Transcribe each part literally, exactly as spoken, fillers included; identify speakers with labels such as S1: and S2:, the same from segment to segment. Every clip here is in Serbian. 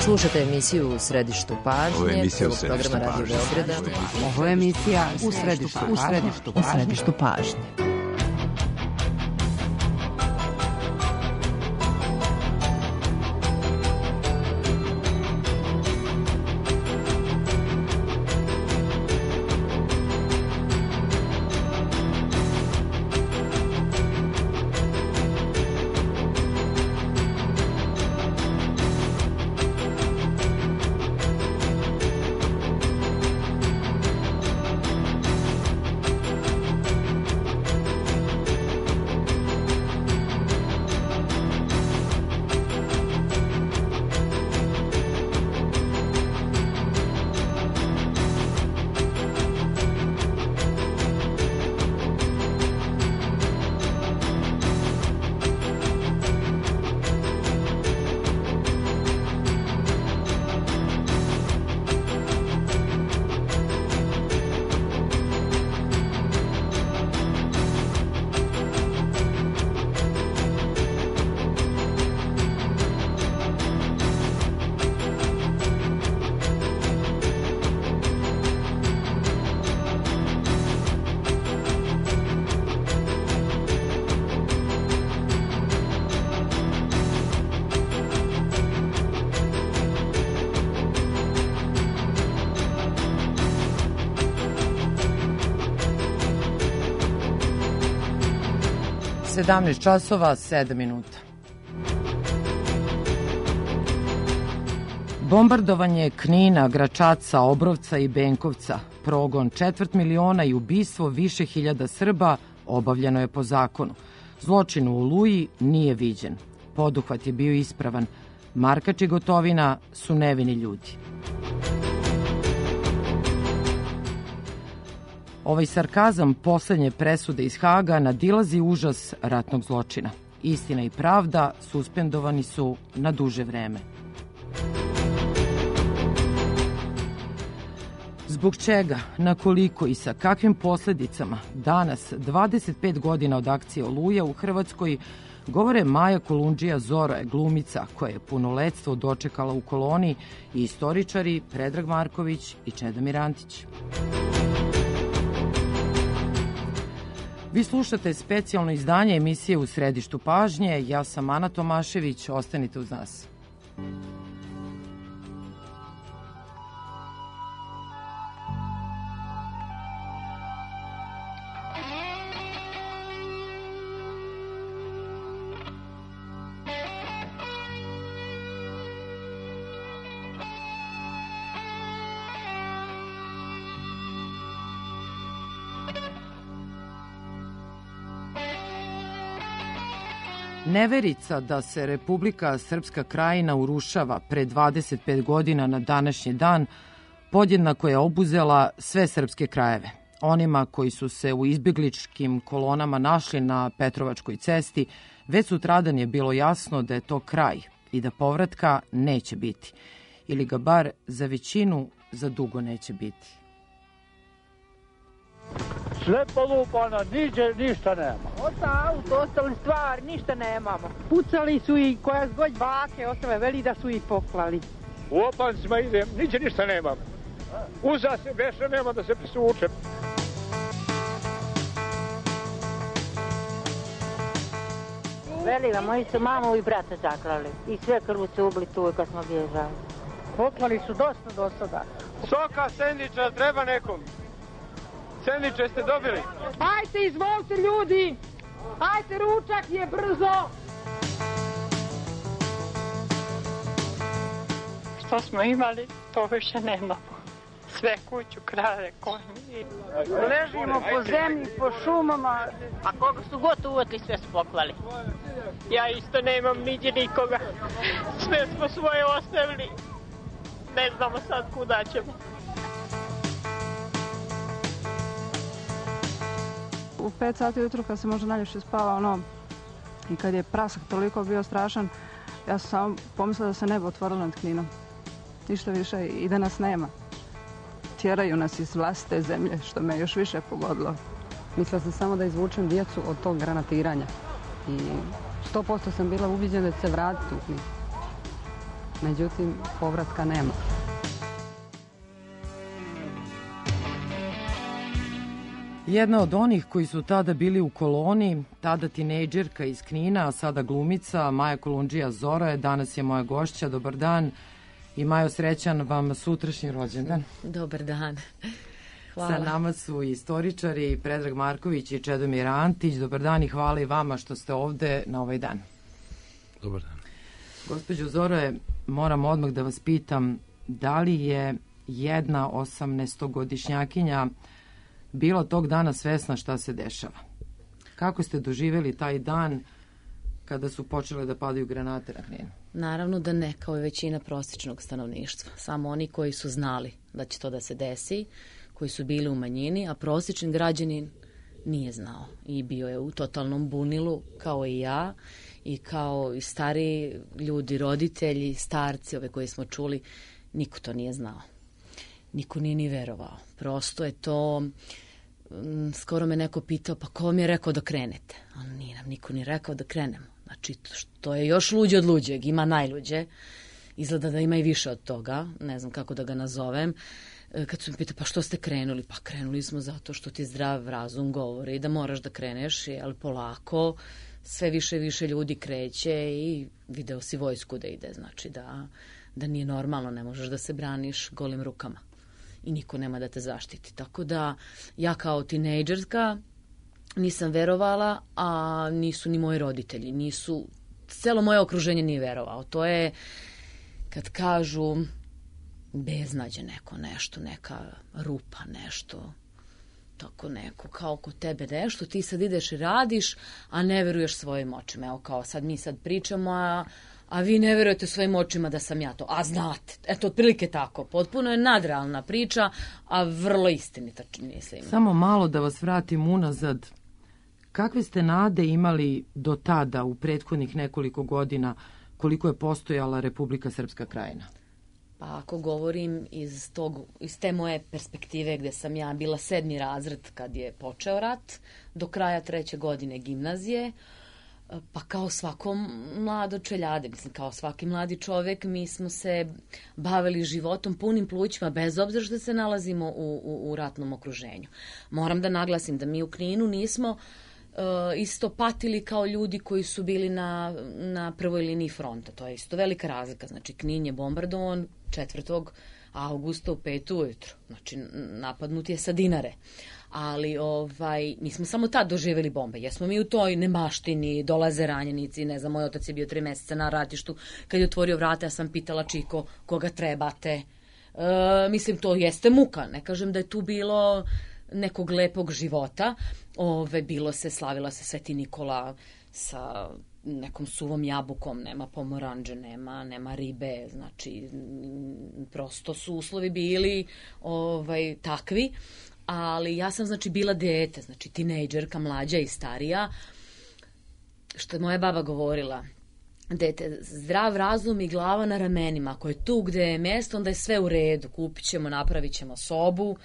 S1: Slušate emisiju U središtu pažnje, prvog programa Radio Beograda.
S2: Ovo je emisija U središtu, u središtu, u središtu pažnje. sedamnaest časova, sedam minuta. Bombardovanje Knina, Gračaca, Obrovca i Benkovca, progon četvrt miliona i ubistvo više hiljada Srba obavljeno je po zakonu. Zločin u Oluji nije viđen. Poduhvat je bio ispravan. Markač i Gotovina su nevini ljudi. Ovaj sarkazam poslednje presude iz Haga nadilazi užas ratnog zločina. Istina i pravda suspendovani su na duže vreme. Zbog čega, na koliko i sa kakvim posledicama danas, dvadeset pet godina od akcije Oluja u Hrvatskoj, govore Maja Kolundžija Zoroje, glumica koja je punoletstvo dočekala u koloni, i istoričari Predrag Marković i Čedomir Antić. Vi slušate specijalno izdanje emisije U središtu pažnje. Ja sam Ana Tomašević. Ostanite uz nas. Neverica da se Republika Srpska Krajina urušava pre dvadeset pet godina na današnji dan podjednako je obuzela sve srpske krajeve. Onima koji su se u izbjegličkim kolonama našli na Petrovačkoj cesti, već sutradan je bilo jasno da je to kraj i da povratka neće biti. Ili ga bar za većinu za dugo neće biti.
S3: Sve polupano, niđe ništa nema.
S4: Osta auto, ostali stvari, ništa nemamo. Pucali su i koja zgoj bake, ostale veli da su ih poklali.
S3: U opancima idem, niđe ništa nemam. Uza se veša nema da se prisučem.
S4: Velila, moji su mamu i brata zaklali. I sve krvu su ubili tu kad smo bježali. Poklali su dosta do sada.
S3: Soka, sendviča, treba nekom. Sendviče ste dobili?
S4: Ajte, izvolite ljudi! Ajte, ručak je brzo!
S5: Što smo imali, to više nemamo. Sve kuću, krave, konji.
S4: Ležimo po zemlji, po šumama.
S5: A koga su god uvetli, sve su poklali. Ja isto nemam niđe nikoga. Sve smo svoje ostavili. Ne znamo sad kuda ćemo.
S6: U pet sati ujutru kad se možda najljepše spava, ono, i kad je prasak toliko bio strašan, ja sam samo pomislila da se nebo otvorilo nad Kninom. Ništa više i da nas nema. Tjeraju nas iz vlastite zemlje, što me još više pogodilo.
S7: Mislila sam samo da izvučem djecu od tog granatiranja. I sto posto sam bila ubiđena da će se vratiti u Knin. međutim povratka nema.
S2: Jedna od onih koji su tada bili u koloni, tada tinejdžerka iz Knina, a sada glumica, Maja Kolundžija Zora je danas je moja gošća. Dobar dan i Majo, srećan vam sutrašnji rođendan.
S1: Dobar dan. Hvala.
S2: Sa nama su istoričari Predrag Marković i Čedomir Antić. Dobar dan i hvala i vama što ste ovde na ovaj dan.
S8: Dobar dan.
S2: Gospođo Zore, moram odmah da vas pitam, da li je jedna osamnaestogodišnjakinja bila tog dana svesna šta se dešava? Kako ste doživjeli taj dan kada su počele da padaju granate na Kninu?
S1: Naravno da ne, kao i većina prosječnog stanovništva. Samo oni koji su znali da će to da se desi, koji su bili u manjini, a prosječni građanin nije znao i bio je u totalnom bunilu, kao i ja, i kao i stari ljudi, roditelji, starci, ove koje smo čuli, niko to nije znao. Niko nije ni verovao. Prosto je to, skoro me neko pitao, pa ko vam je rekao da krenete? A nije nam niko ni rekao da krenemo. Znači, to je još luđe od luđeg, ima najluđe. Izgleda da ima i više od toga, ne znam kako da ga nazovem. Kad su mi pitali, pa što ste krenuli? Pa krenuli smo zato što ti zdrav razum govori da moraš da kreneš, ali polako sve više i više ljudi kreće i video si vojsku da ide. Znači da, da nije normalno, ne možeš da se braniš golim rukama i niko nema da te zaštiti. Tako da ja kao tinejdžerka nisam verovala, a nisu ni moji roditelji, nisu, celo moje okruženje nije verovao. To je kad kažu beznađe neko, nešto, neka rupa, nešto, tako neko, kao kod tebe nešto, ti sad ideš i radiš, a ne veruješ svojim očima. Evo kao sad mi sad pričamo, a, a vi ne verujete svojim očima da sam ja to. A znate, eto, otprilike tako. Potpuno je nadrealna priča, a vrlo istinita, mislim.
S2: Samo malo da vas vratim unazad. Kakve ste nade imali do tada, u prethodnih nekoliko godina, koliko je postojala Republika Srpska Krajina?
S1: Pa ako govorim iz, tog, iz te moje perspektive gde sam ja bila sedmi razred kad je počeo rat, do kraja treće godine gimnazije, pa kao svako mlado čeljade, mislim kao svaki mladi čovek, mi smo se bavili životom punim plućima, bez obzira što se nalazimo u, u, u ratnom okruženju. Moram da naglasim da mi u Kninu nismo Uh, isto patili kao ljudi koji su bili na, na prvoj liniji fronta. To je isto velika razlika. Znači, Knin je bombardovan četvrtog avgusta u pet ujutru. Znači, napadnut je sa Dinare. Ali ovaj, mi smo samo tad doživjeli bombe. Jesmo mi u toj nemaštini, dolaze ranjenici, ne znam, moj otac je bio tri meseca na ratištu. Kad je otvorio vrata, ja sam pitala Čiko, koga trebate? Uh, mislim, to jeste muka. Ne kažem da je tu bilo nekog lepog života. Ove, bilo se, slavila se Sveti Nikola sa nekom suvom jabukom, nema pomoranđe, nema, nema ribe, znači prosto su uslovi bili ovaj, takvi, ali ja sam znači bila dete, znači tinejdžerka, mlađa i starija, što je moja baba govorila, dete, zdrav razum i glava na ramenima, ako je tu gde je mjesto, onda je sve u redu, kupit ćemo, napravit ćemo sobu,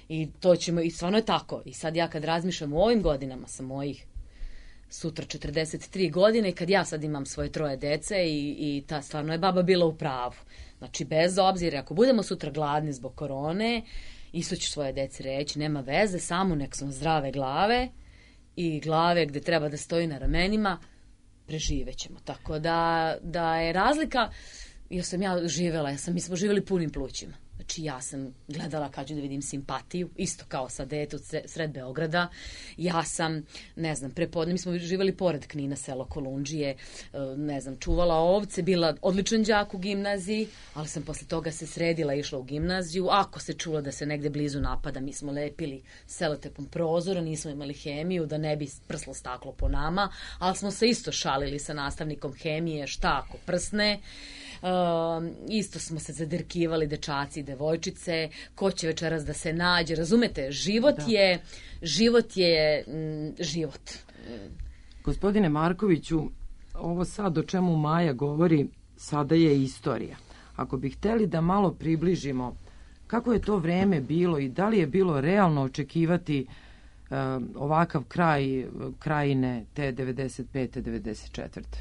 S1: i to ćemo, i stvarno je tako. I sad ja kad razmišljam u ovim godinama sa mojih sutra četrdeset tri godine i kad ja sad imam svoje troje dece i, i ta stvarno je baba bila u pravu. Znači bez obzira, ako budemo sutra gladni zbog korone, isto ću svoje deci reći, nema veze, samo nek smo zdrave glave i glave gde treba da stoji na ramenima, preživećemo. Tako da, da je razlika, jer sam ja živela, ja sam, mi smo živjeli punim plućima. Znači ja sam gledala kad ću da vidim simpatiju, isto kao sa dete sred Beograda. Ja sam, ne znam, prepodne, mi smo živjeli pored Knina, selo Kolundžije, ne znam, čuvala ovce, bila odličan đak u gimnaziji, ali sam posle toga se sredila i išla u gimnaziju. Ako se čulo da se negde blizu napada, mi smo lepili selotepom prozora, nismo imali hemiju, da ne bi prslo staklo po nama, ali smo se isto šalili sa nastavnikom hemije, šta ako prsne. Uh, isto smo se zadirkivali dečaci i devojčice, ko će večeras da se nađe, razumete, život da. je život je m, život.
S2: Gospodine Markoviću, ovo sad o čemu Maja govori sada je istorija. Ako bi hteli da malo približimo kako je to vreme bilo i da li je bilo realno očekivati uh, ovakav kraj krajine te devedeset pete devedeset četvrte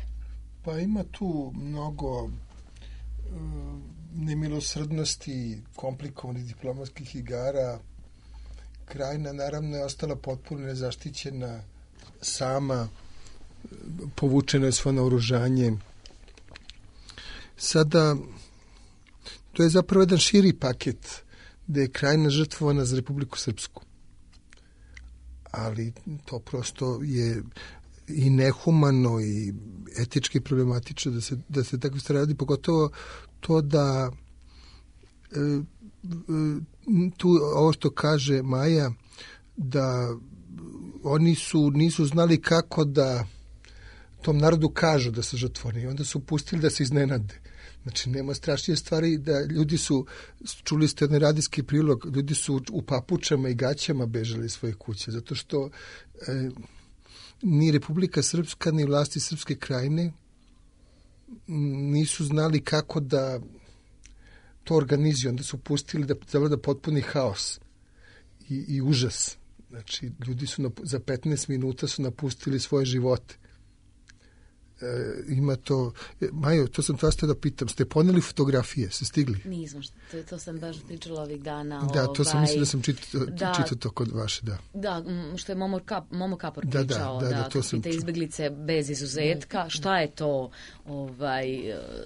S9: Pa ima tu mnogo
S8: nemilosrdnosti, komplikovanih diplomatskih igara, Krajina naravno je ostala potpuno nezaštićena, sama, povučeno je svo naoružanje. Sada, to je zapravo jedan širi paket gde je Krajina žrtvovana za Republiku Srpsku. Ali to prosto je i nehumano i etički problematično da se, da se tako stvari radi, pogotovo to da e, tu ovo što kaže Maja, da oni su nisu znali kako da tom narodu kažu da su žrtvovani i onda su pustili da se iznenade. Znači, nema strašnije stvari da ljudi su, čuli ste onaj radijski prilog, ljudi su u papučama i gaćama bežali iz svojih kuće, zato što e, ni Republika Srpska, ni vlasti Srpske Krajine nisu znali kako da to organizuju. Onda su pustili da zavlada potpuni haos i, i užas. Znači, ljudi su na, za petnaest minuta su napustili svoje živote. E, ima to... Majo, to sam vas da pitam. Ste poneli fotografije? Ste stigli?
S1: Nismo. To, to sam baš pričala ovih dana.
S8: Da, to sam
S1: ovaj,
S8: mislila da sam čitao
S1: da,
S8: čito to kod vaše, da.
S1: Da, što je Momo, Kap, Momo Kapor
S8: da,
S1: pričao.
S8: Da, da,
S1: da,
S8: da, to sam
S1: te izbeglice bez izuzetka. Šta je to ovaj,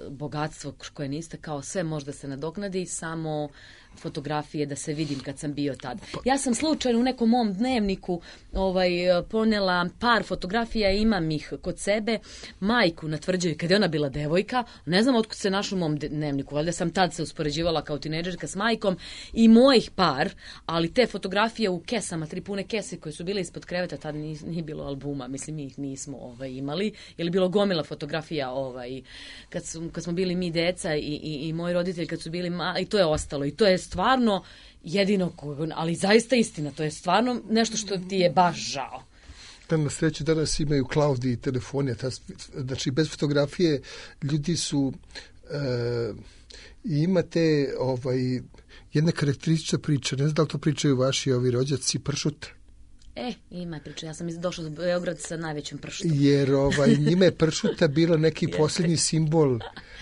S1: bogatstvo koje niste kao sve možda se nadoknadi, samo fotografije da se vidim kad sam bio tad. Ja sam slučajno u nekom mom dnevniku ovaj, ponela par fotografija, imam ih kod sebe, majku na Tvrđavi kad je ona bila devojka, ne znam otkud se našla u mom dnevniku, valjda sam tad se uspoređivala kao tinejdžerka s majkom i mojih par, ali te fotografije u kesama, tri pune kese koje su bile ispod kreveta, tad nije, nije bilo albuma, mislim mi ih nismo ovaj, imali, ili bilo gomila fotografija ovaj, kad, su, kad smo bili mi deca i, i, i moji roditelji kad su bili mali, i to je ostalo i to je stvarno jedino, ali zaista istina, to je stvarno nešto što ti je baš žao.
S8: Da, na sreću danas imaju cloud i telefone, ta, znači bez fotografije ljudi su e, i imate ovaj, jedna karakteristična priča, ne znam da li to pričaju vaši ovi rođaci, pršuta.
S1: E, ima je priča, ja sam došla do Beograda sa najvećim pršutom.
S8: Jer ovaj, njima je pršuta bila neki posljednji simbol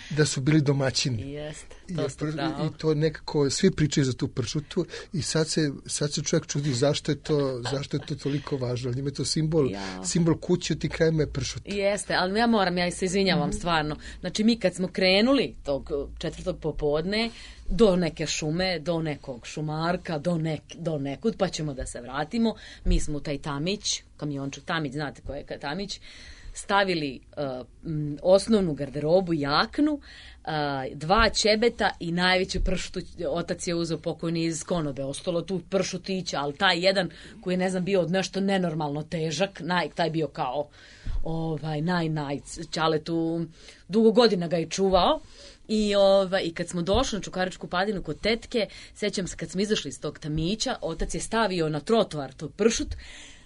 S8: da su bili domaćini.
S1: Jeste, to ste pravo.
S8: I to nekako, svi pričaju za tu pršutu i sad se, sad se čovjek čudi zašto je to, zašto je to toliko važno. Njima je to simbol, ja. simbol kuće, u tim krajima je pršuta.
S1: Jeste, ali ja moram, ja se izvinjavam mm-hmm. stvarno. Znači mi kad smo krenuli tog četvrtog popodne, do neke šume, do nekog šumarka, do, nek, do nekud, pa ćemo da se vratimo. Mi smo u taj Tamić, kamiončuk Tamić, znate ko je Tamić, stavili uh, m, osnovnu garderobu, jaknu, uh, dva ćebeta i najveću pršutu. Otac je uzeo pokojni iz konobe, ostalo tu pršutića, ali taj jedan koji je, ne znam, bio nešto nenormalno težak, naj, taj bio kao ovaj, naj, naj, Ćale tu dugo godina ga je čuvao. I, ovaj, I kad smo došli na Čukaričku padinu kod tetke, sećam se kad smo izašli iz tog Tamića, otac je stavio na trotoar tog pršut,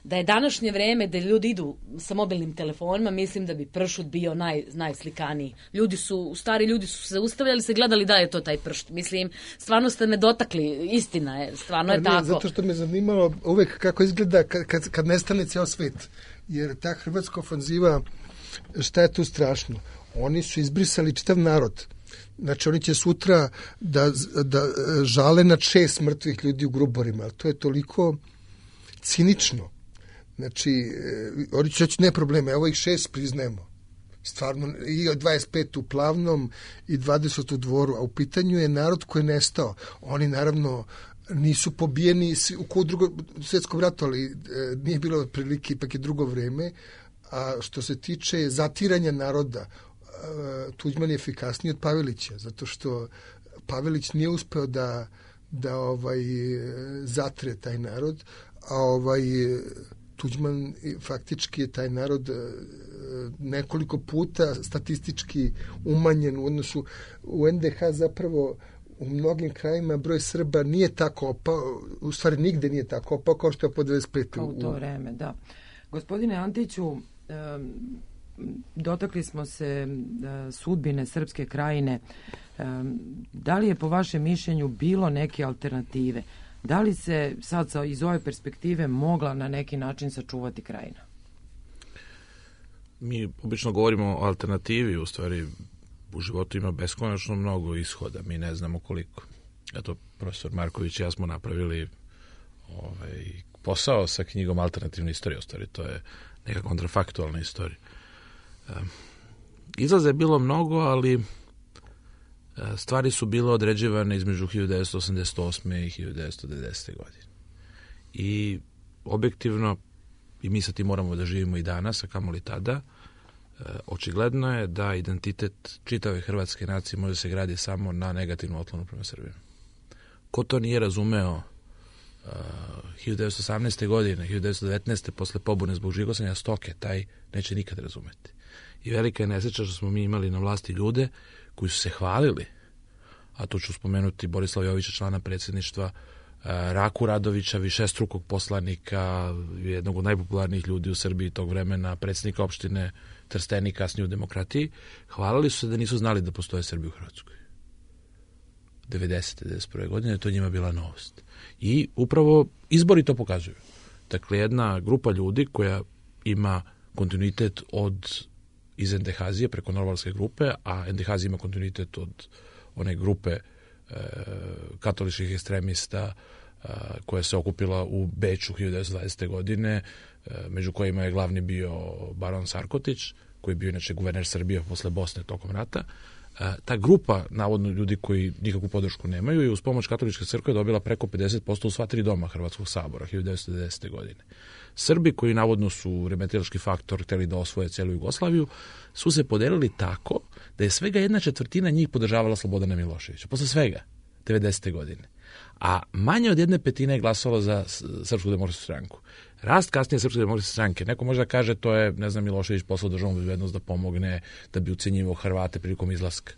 S1: da je današnje vreme da ljudi idu sa mobilnim telefonima, mislim da bi pršut bio naj, najslikaniji. Ljudi su, stari ljudi su se ustavljali, se gledali da je to taj pršut. Mislim, stvarno ste me dotakli, istina je, stvarno je
S8: ne,
S1: tako.
S8: Zato što me zanimalo uvek kako izgleda kad, kad, kad nestane ceo svet. Jer ta hrvatska ofanziva, šta je tu strašno? Oni su izbrisali čitav narod. Znači, oni će sutra da, da žale nad šest mrtvih ljudi u Gruborima. To je toliko cinično. Znači, oni će reći, ne probleme, evo ih šest priznajemo. Stvarno, i dvadeset pet u Plavnom i dvadeset u Dvoru, a u pitanju je narod koji je nestao. Oni, naravno, nisu pobijeni u drugom svjetskom ratu, ali e, nije bilo prilike, ipak je drugo vreme. A što se tiče zatiranja naroda, Tuđman je efikasniji od Pavelića, zato što Pavelić nije uspeo da, da ovaj, zatre taj narod, a ovaj, Tuđman faktički je taj narod nekoliko puta statistički umanjen u odnosu u en de ha zapravo u mnogim krajima broj Srba nije tako opao, u stvari nigde nije tako opao kao što je po dvadeset pete.
S2: Kao u to vreme, da. Gospodine Antiću, um, dotakli smo se uh, sudbine Srpske Krajine. Um, da li je po vašem mišljenju bilo neke alternative? Da li se sad sa, iz ove perspektive mogla na neki način sačuvati Krajina?
S9: Mi obično govorimo o alternativi, u stvari u životu ima beskonačno mnogo ishoda, mi ne znamo koliko. Eto, profesor Marković i ja smo napravili ovaj, posao sa knjigom Alternativna istorija, u stvari, to je neka kontrafaktualna istorija. Izlaza je bilo mnogo, ali stvari su bile određivane između hiljadu devetsto osamdeset osme i hiljadu devetsto devedesete godine. I objektivno, i mi sa tim moramo da živimo i danas, a kamoli tada, očigledno je da identitet čitave hrvatske nacije može se gradi samo na negativnu otklonu prema Srbima. Ko to nije razumeo uh, hiljadu devetsto osamnaeste. godine, hiljadu devetsto devetnaeste. posle pobune zbog žigosanja stoke, taj neće nikad razumeti. I velika je nesreća što smo mi imali na vlasti ljude koji su se hvalili, a tu ću spomenuti Borislava Jovića, člana predsjedništva, uh, Raku Radovića, višestrukog poslanika, jednog od najpopularnijih ljudi u Srbiji tog vremena, predsjednika opštine Trstenik, kasnije u demokratiji, hvalili su se da nisu znali da postoje Srbi u Hrvatskoj. devedesete. devedeset prve. godine to njima bila novost. I upravo izbori to pokazuju. Dakle, jedna grupa ljudi koja ima kontinuitet od iz Endehazije preko Norvalske grupe, a Endehazija ima kontinuitet od one grupe e, katoličkih ekstremista e, koja se okupila u Beču hiljadu devetsto dvadesete. godine, e, među kojima je glavni bio baron Sarkotić, koji je bio inače guverner Srbije posle Bosne tokom rata. E, ta grupa, navodno ljudi koji nikakvu podršku nemaju, je uz pomoć katoličke crkve dobila preko pedeset posto u sva tri doma Hrvatskog sabora hiljadu devetsto devedesete. godine. Srbi, koji navodno su remetilački faktor, hteli da osvoje celu Jugoslaviju, su se podelili tako da je svega jedna četvrtina njih podržavala Slobodana Miloševića. Posle svega, devedesete. godine. A manje od jedne petine je glasalo za Srpsku demokratsku stranku. Rast kasnije Srpske demokratske stranke, neko može da kaže to je, ne znam, Milošević poslao državnu bezbednost da pomogne, da bi ucenjivao Hrvate prilikom izlaska.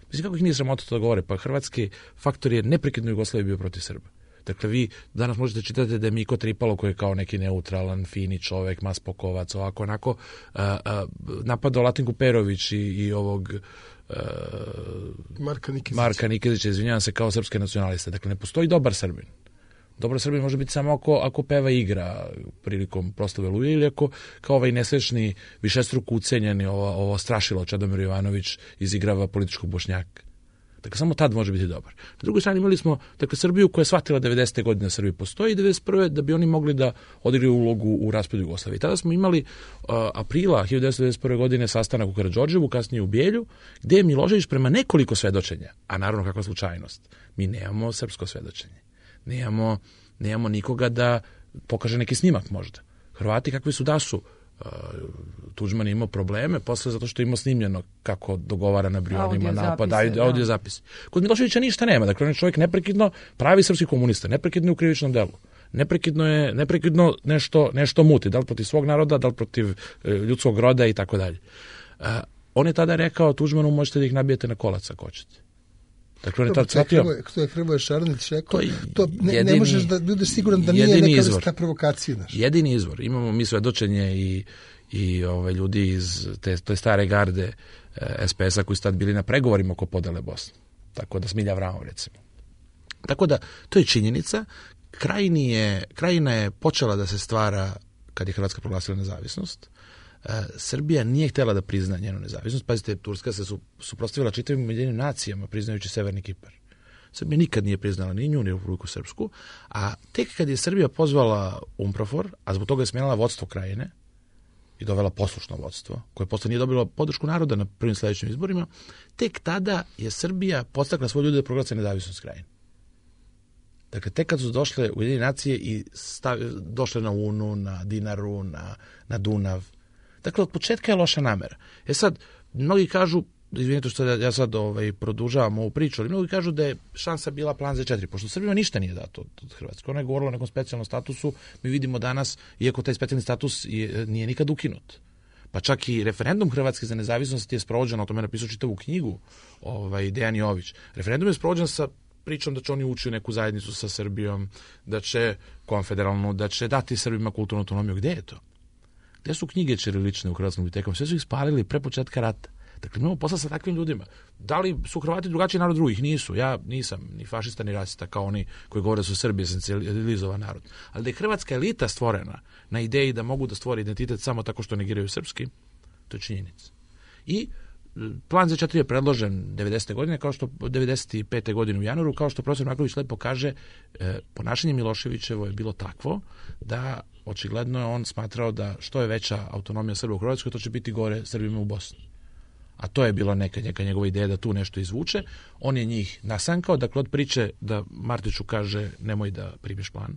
S9: Mislim, kako ih nije sramota to da govore, pa hrvatski faktor je neprekidno Jugoslavije bio protiv Srba. Dakle, vi danas možete čitati da je Miko Tripalo, koji je kao neki neutralan, fini čovek, maspokovac, ovako, onako, uh, uh, napadao Latinku Perović i, i ovog uh,
S8: Marka Nikezića.
S9: Marka Nikezića, izvinjavam se, kao srpske nacionaliste. Dakle, ne postoji dobar Srbin. Dobar Srbin može biti samo ako, ako peva igra prilikom proslave Oluje ili ako kao ovaj nesrećni, višestruko ucenjeni, ovo, ovo strašilo Čedomir Jovanović izigrava političkog Bošnjaka. Dakle, samo tad može biti dobar. Na drugoj strani imali smo, dakle, Srbiju koja je shvatila devedesete. godine da Srbiji postoji i devedeset prve. da bi oni mogli da odigraju ulogu u raspadu Jugoslavije. Tada smo imali uh, aprila hiljadu devetsto devedeset prve. godine sastanak u Karađorđevu, kasnije u Bijelju, gde je Milošević prema nekoliko svedočenja, a naravno kakva slučajnost, mi nemamo srpsko svedočenje. Nemamo, nemamo nikoga da pokaže neki snimak možda. Hrvati kakvi su da su, Uh, Tuđman je imao probleme posle zato što je imao snimljeno kako dogovara na Brionima napad, audio zapis. Kod Miloševića ništa nema, dakle on je čovjek neprekidno pravi srpski komunista, neprekidno je u krivičnom delu. Neprekidno je neprekidno nešto nešto muti, da li protiv svog naroda, da li protiv uh, ljudskog roda i tako dalje. Uh, on je tada rekao Tuđmanu, možete da ih nabijete na kolac ako hoćete. Dakle, on je tada shvatio...
S8: To je Hrvoje Šarnić rekao, to ne, jedini, ne možeš da budeš siguran da nije neka vrsta provokacije. Naš.
S9: Jedini izvor. Imamo mi svedočenje i, i ove, ljudi iz te, te stare garde eh, es pe es a koji su tad bili na pregovorima oko podele Bosne. Tako da Smilja Vramov, recimo. Tako da, to je činjenica. Krajini je, krajina je počela da se stvara kad je Hrvatska proglasila nezavisnost. Srbija nije htjela da prizna njenu nezavisnost. Pazite, Turska se su, suprotstavila čitavim Ujedinjenim nacijama priznajući Severni Kipar. Srbija nikad nije priznala ni nju, ni Republiku Srpsku, a tek kad je Srbija pozvala UNPROFOR, a zbog toga je smenila vodstvo krajine i dovela poslušno vodstvo, koje posle nije dobilo podršku naroda na prvim sledećim izborima, tek tada je Srbija podstakla svoje ljude da proglase nezavisnost krajine. Dakle, tek kad su došle Ujedinjene nacije i stav, došle na Unu, na Dinaru, na, na Dunav. Dakle, od početka je loša namera. E sad, mnogi kažu, izvinite što ja sad ovaj, produžavam ovu priču, ali mnogi kažu da je šansa bila plan za četiri, pošto Srbima ništa nije dato od, od Hrvatske. Ona je govorila o nekom specijalnom statusu, mi vidimo danas, iako taj specijalni status je, nije nikad ukinut. Pa čak i referendum Hrvatske za nezavisnost je sprovođen, o tome je napisao čitavu knjigu ovaj, Dejan Jović. Referendum je sprovođen sa pričom da će oni ući u neku zajednicu sa Srbijom, da će konfederalnu, da će dati Srbima kulturnu autonomiju. Gde je to? Gde su knjige ćirilične u Hrvatskom bibliotekom? Sve su ih spalili pre početka rata. Dakle, imamo posla sa takvim ljudima. Da li su Hrvati drugačiji narod drugih? Nisu. Ja nisam ni fašista ni rasista kao oni koji govore da su Srbije centralizovan narod. Ali da je hrvatska elita stvorena na ideji da mogu da stvore identitet samo tako što negiraju srpski, to je činjenica. I plan za četiri je predložen devedesete godine, kao što devedeset pete godine u januaru, kao što profesor Marković lepo kaže, ponašanje Miloševićevo je bilo takvo da očigledno je on smatrao da što je veća autonomija Srba u Hrvatskoj, to će biti gore Srbima u Bosni. A to je bila neka, neka njegova ideja da tu nešto izvuče. On je njih nasankao, dakle od priče da Martiću kaže nemoj da primiš plan,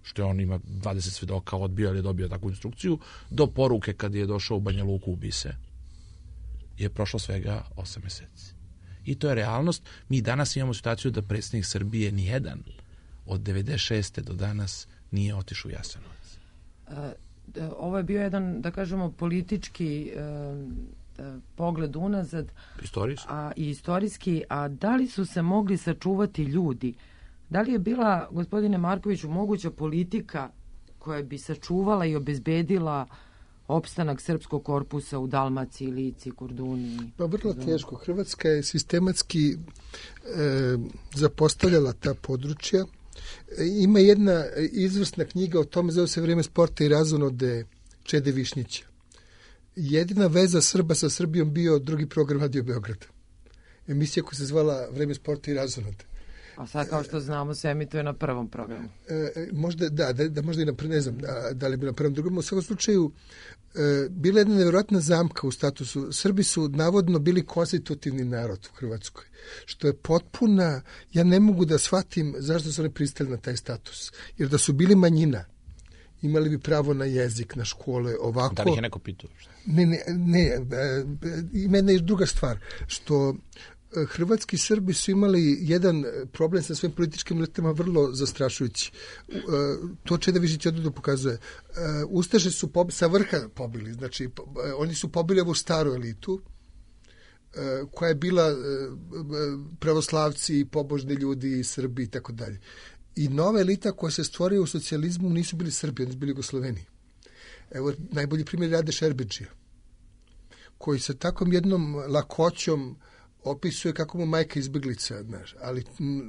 S9: što je on ima dvadeset svedoka, odbio ili je dobio takvu instrukciju, do poruke kad je došao u Banja Luku ubi se, je prošlo svega osam meseci. I to je realnost. Mi danas imamo situaciju da predsjednik Srbije nijedan od devedeset šeste do danas nije otišao u Jasenovac.
S2: Ovo je bio jedan, da kažemo, politički pogled unazad.
S9: Istorijski.
S2: A, i istorijski. A da li su se mogli sačuvati ljudi? Da li je bila, gospodine Markoviću, moguća politika koja bi sačuvala i obezbedila opstanak srpskog korpusa u Dalmaciji, Lici, Korduni?
S8: Pa vrlo teško. Hrvatska je sistematski e, zapostavljala ta područja. E, ima jedna izvrsna knjiga o tome, zove se Vreme sporta i razonode Čede Višnjića. Jedina veza Srba sa Srbijom bio drugi program Radio Beograda. Emisija koja se zvala Vreme sporta i razonode.
S2: A sad, kao što znamo, se emituje na prvom programu.
S8: E, možda, da, da, da možda i na, ne znam da, da li bi na prvom drugom. U svakom slučaju, e, bila je jedna nevjerojatna zamka u statusu. Srbi su navodno bili konstitutivni narod u Hrvatskoj, što je potpuna, ja ne mogu da shvatim zašto su oni pristali na taj status. Jer da su bili manjina, imali bi pravo na jezik, na škole, ovako.
S9: Da li je neko pitao?
S8: Ne, ne, ne, ima jedna druga stvar, što hrvatski Srbi su imali jedan problem sa svojim političkim elitama vrlo zastrašujući. To Čeda Višnjić odavno pokazuje. Ustaše su pob, sa vrha pobili, znači oni su pobili ovu staru elitu, koja je bila pravoslavci, pobožni ljudi, Srbi i tako dalje. I nova elita koja se stvorio u socijalizmu nisu bili Srbi, oni su bili Jugosloveni. Evo, najbolji primjer Rade Šerbedžija, koji sa takvom jednom lakoćom opisuje kako mu majka izbjeglica, znaš, ali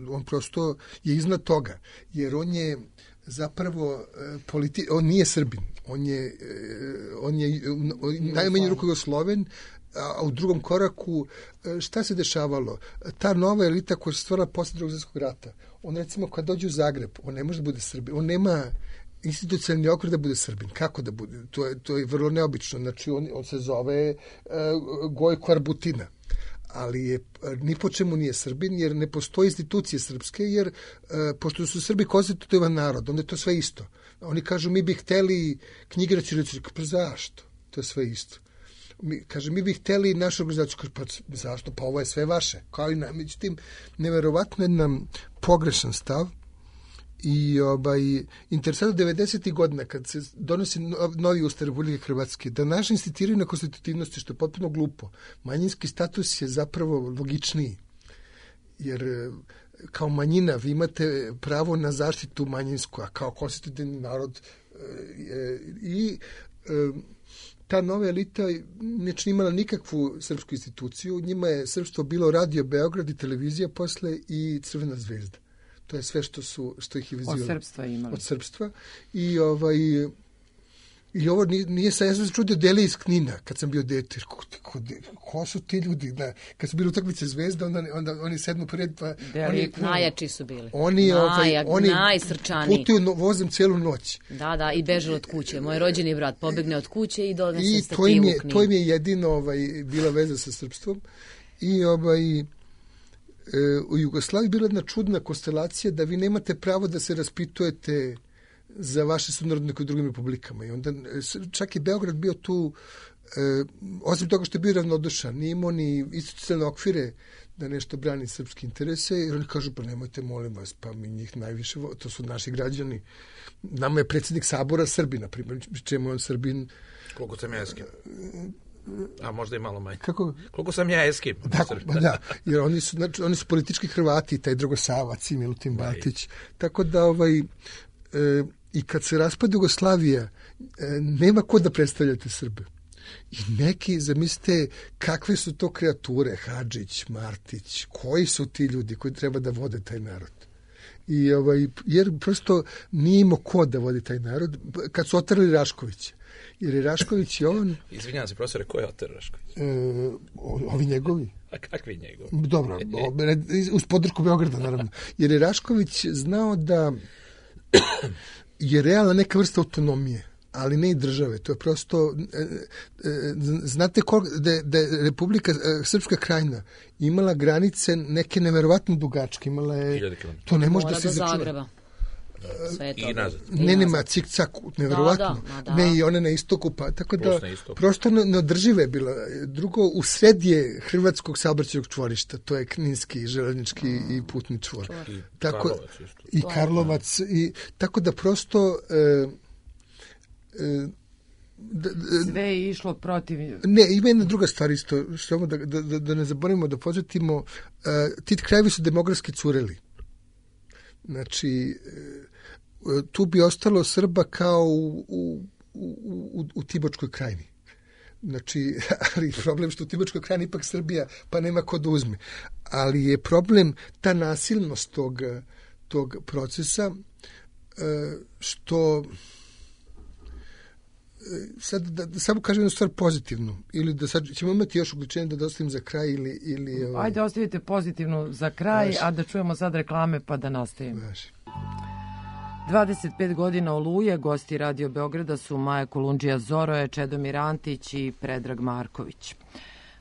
S8: on prosto je iznad toga, jer on je zapravo politi... on nije Srbin, on je, on je najmanju ruku Jugosloven, a u drugom koraku šta se dešavalo? Ta nova elita koja se stvorila posle Drugog svjetskog rata, on recimo kad dođe u Zagreb, on ne može da bude Srbin, on nema institucionalni okvir da bude Srbin. Kako da bude? To je, to je vrlo neobično. Znači on, on se zove uh, Gojko Arbutina, ali je, ni po čemu nije Srbin, jer ne postoji institucije srpske, jer uh, pošto su Srbi konstitutivan narod, onda je to sve isto. Oni kažu, mi bi hteli knjige na ćirilici. Pa zašto? To je sve isto. Mi, kaže, mi bi hteli našu organizaciju. Kaže, pa zašto? Pa ovo je sve vaše. Kao i na, međutim, neverovatno je nam pogrešan stav. I ovaj, interesantno devedesetih godina kad se donosi novi Ustav Republike Hrvatske, da naše institutiraju na konstitutivnosti, što je potpuno glupo. Manjinski status je zapravo logičniji, jer kao manjina vi imate pravo na zaštitu manjinsku, a kao konstitutivni narod e, i e, ta nova elita neće imala nikakvu srpsku instituciju, njima je srpstvo bilo Radio Beograd i televizija posle i Crvena zvezda. To je sve što su što ih je vezivalo
S2: od srpstva imali.
S8: Od srpstva i ovaj i ovo nije, nije sa ja sam se čudio Deli iz Knina kad sam bio dete. Ko, ko, ko su ti ljudi? Da, kad su bili utakmice Zvezda, onda onda oni sedmu pred pa
S1: Deli, oni najjači su bili.
S8: Oni
S1: Naj,
S8: ovaj oni
S1: najsrčaniji.
S8: Putuju no, vozom celu noć.
S1: Da, da, i beže od kuće. Moj rođeni brat pobegne od kuće i donese stativu
S8: u
S1: Knin.
S8: I to im je jedino ovaj bila veza sa srpstvom. I ovaj u Jugoslaviji bila jedna čudna konstelacija da vi nemate pravo da se raspitujete za vaše sunarodnike u drugim republikama. I onda čak i Beograd bio tu, e, osim toga što je bio ravnodušan, nije imao ni institucionalne okvire da nešto brani srpske interese, jer oni kažu, pa nemojte, molim vas, pa mi njih najviše, to su naši građani. Nama je predsjednik Sabora Srbin, na primjer, čemu je on Srbin.
S9: Koliko sam ja eskim? A možda i malo manje.
S8: Kako?
S9: Koliko sam ja eskim?
S8: Da, da, jer oni su, znači, oni su politički Hrvati, taj Dragosavac i Milutin Batić. Tako da, ovaj, e, i kad se raspada Jugoslavija, e, nema ko da predstavljate Srbe. I neki, zamislite, kakve su to kreature, Hadžić, Martić, koji su ti ljudi koji treba da vode taj narod. I, ovaj, jer prosto nije imao ko da vodi taj narod. Kad su otrali Raškovića, jer je Rašković i on...
S9: Izvinjam se, profesore, ko je oter Rašković?
S8: E, ovi njegovi.
S9: A kakvi njegovi?
S8: Dobro, uz podršku Beograda, naravno. Jer je Rašković znao da je realna neka vrsta autonomije, ali ne i države. To je prosto... Znate da je, da je Republika Srpska Krajina imala granice neke neverovatno dugačke. Imala je... To ne može da se izračuna.
S1: Sve to.
S9: I nazad.
S8: Ne, nema cik-cak, neverovatno.
S1: Da, da, da.
S8: Ne, i one na istoku, pa tako da prosto neodržive je bila. Drugo, u sred je hrvatskog saobraćajnog čvorišta, to je Kninski, železnički mm. i putni čvor.
S9: I
S8: tako,
S9: Karlovac isto.
S8: I Karlovac. I, tako da prosto... E, e,
S2: Da, da, sve je išlo protiv...
S8: Ne, ima jedna druga stvar isto, samo da, da, da ne zaboravimo, da podsjetimo, uh, ti krajevi su demografski cureli. Znači, uh, tu bi ostalo Srba kao u, u, u, u Timočkoj krajini. Znači, ali problem što u Timočkoj krajini ipak Srbija, pa nema ko da uzme. Ali je problem ta nasilnost tog, tog procesa, uh, što... Sad da, da samo kažem jednu stvar pozitivnu, ili da sad ćemo imati još uključenje da dostavim za kraj ili... ili ovaj...
S2: Ajde, ostavite pozitivnu za kraj, Važi. A da čujemo sad reklame pa da nastavimo.
S8: Važi.
S2: dvadeset pet godina Oluje, gosti Radio Beograda su Maja Kolundžija Zoroje, Čedomir Antić i Predrag Marković.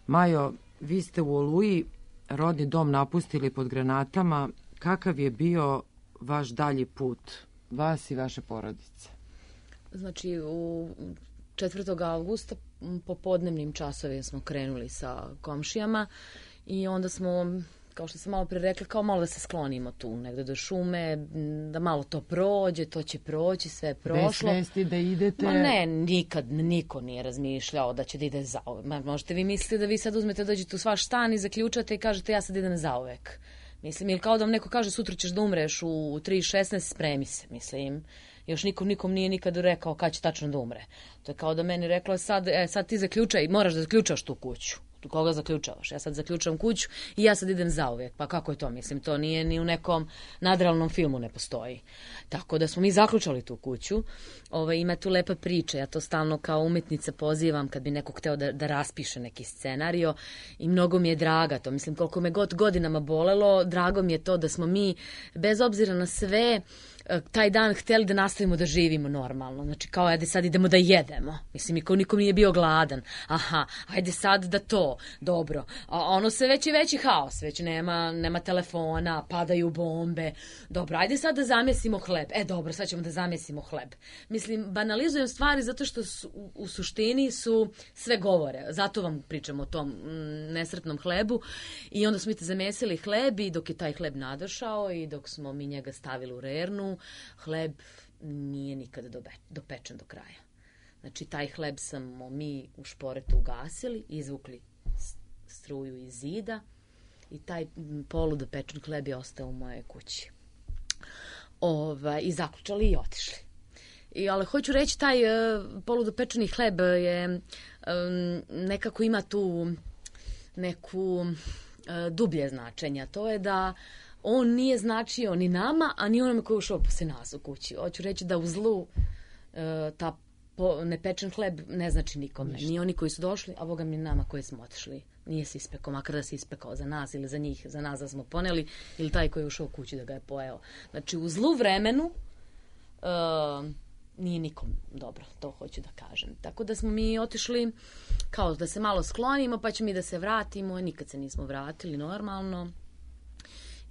S2: Majo, vi ste u Oluji rodni dom napustili pod granatama. Kakav je bio vaš dalji put, vas i vaše porodice?
S1: Znači, u četvrtog avgusta popodnevnim časovima smo krenuli sa komšijama i onda smo, kao što sam malo pre rekla, kao malo da se sklonimo tu negde do šume, da malo to prođe, to će proći, sve je prošlo.
S2: Bez svesti da idete?
S1: Ma ne, nikad niko nije razmišljao da će da ide zauvek. Možete vi misliti da vi sad uzmete, dođete u svaš stan i zaključate i kažete ja sad idem zauvek. Mislim, ili kao da vam neko kaže sutra ćeš da umreš u tri šesnaest, spremi se, mislim. Još nikom nikom nije nikad rekao kad će tačno da umre. To je kao da meni rekla sad, e, sad ti zaključaj, moraš da zaključaš tu kuću. Tu koga zaključavaš? Ja sad zaključavam kuću i ja sad idem zauvijek. Pa kako je to? Mislim, to nije ni u nekom nadrealnom filmu ne postoji. Tako da smo mi zaključali tu kuću. Ove, ima tu lepa priča. Ja to stalno kao umetnica pozivam kad bi neko hteo da, da raspiše neki scenario i mnogo mi je draga to. Mislim, koliko me god godinama bolelo, drago mi je to da smo mi, bez obzira na sve, taj dan hteli da nastavimo da živimo normalno. Znači, kao, ajde sad idemo da jedemo. Mislim, niko nikom nije bio gladan. Aha, ajde sad da to. Dobro. A ono se već i veći haos. Već nema, nema telefona, padaju bombe. Dobro, ajde sad da zamesimo hleb. E, dobro, sad ćemo da zamesimo hleb. Mislim, banalizujem stvari zato što su, u, u suštini su sve govore. Zato vam pričam o tom m, nesretnom hlebu. I onda smo mi te zamesili hleb i dok je taj hleb nadošao i dok smo mi njega stavili u rernu, hleb nije nikada dobe, dopečen do kraja. Znači, taj hleb smo mi u šporetu ugasili, izvukli struju iz zida i taj poludopečen hleb je ostao u mojoj kući. Ova, I zaključali i otišli. I, ali hoću reći, taj uh, poludopečeni hleb je um, nekako ima tu neku uh, dublje značenja. To je da on nije značio ni nama, a ni onome koji je ušao posle nas u kući. Hoću reći da u zlu uh, ta po, nepečen hleb ne znači nikome. Ni oni koji su došli, a Boga mi nama koji smo otišli. Nije se ispekao, makar da se ispekao za nas ili za njih, za nas da smo poneli, ili taj koji je ušao u kući da ga je pojeo. Znači, u zlu vremenu uh, nije nikom dobro, to hoću da kažem. Tako da smo mi otišli kao da se malo sklonimo, pa ćemo mi da se vratimo. Nikad se nismo vratili normalno.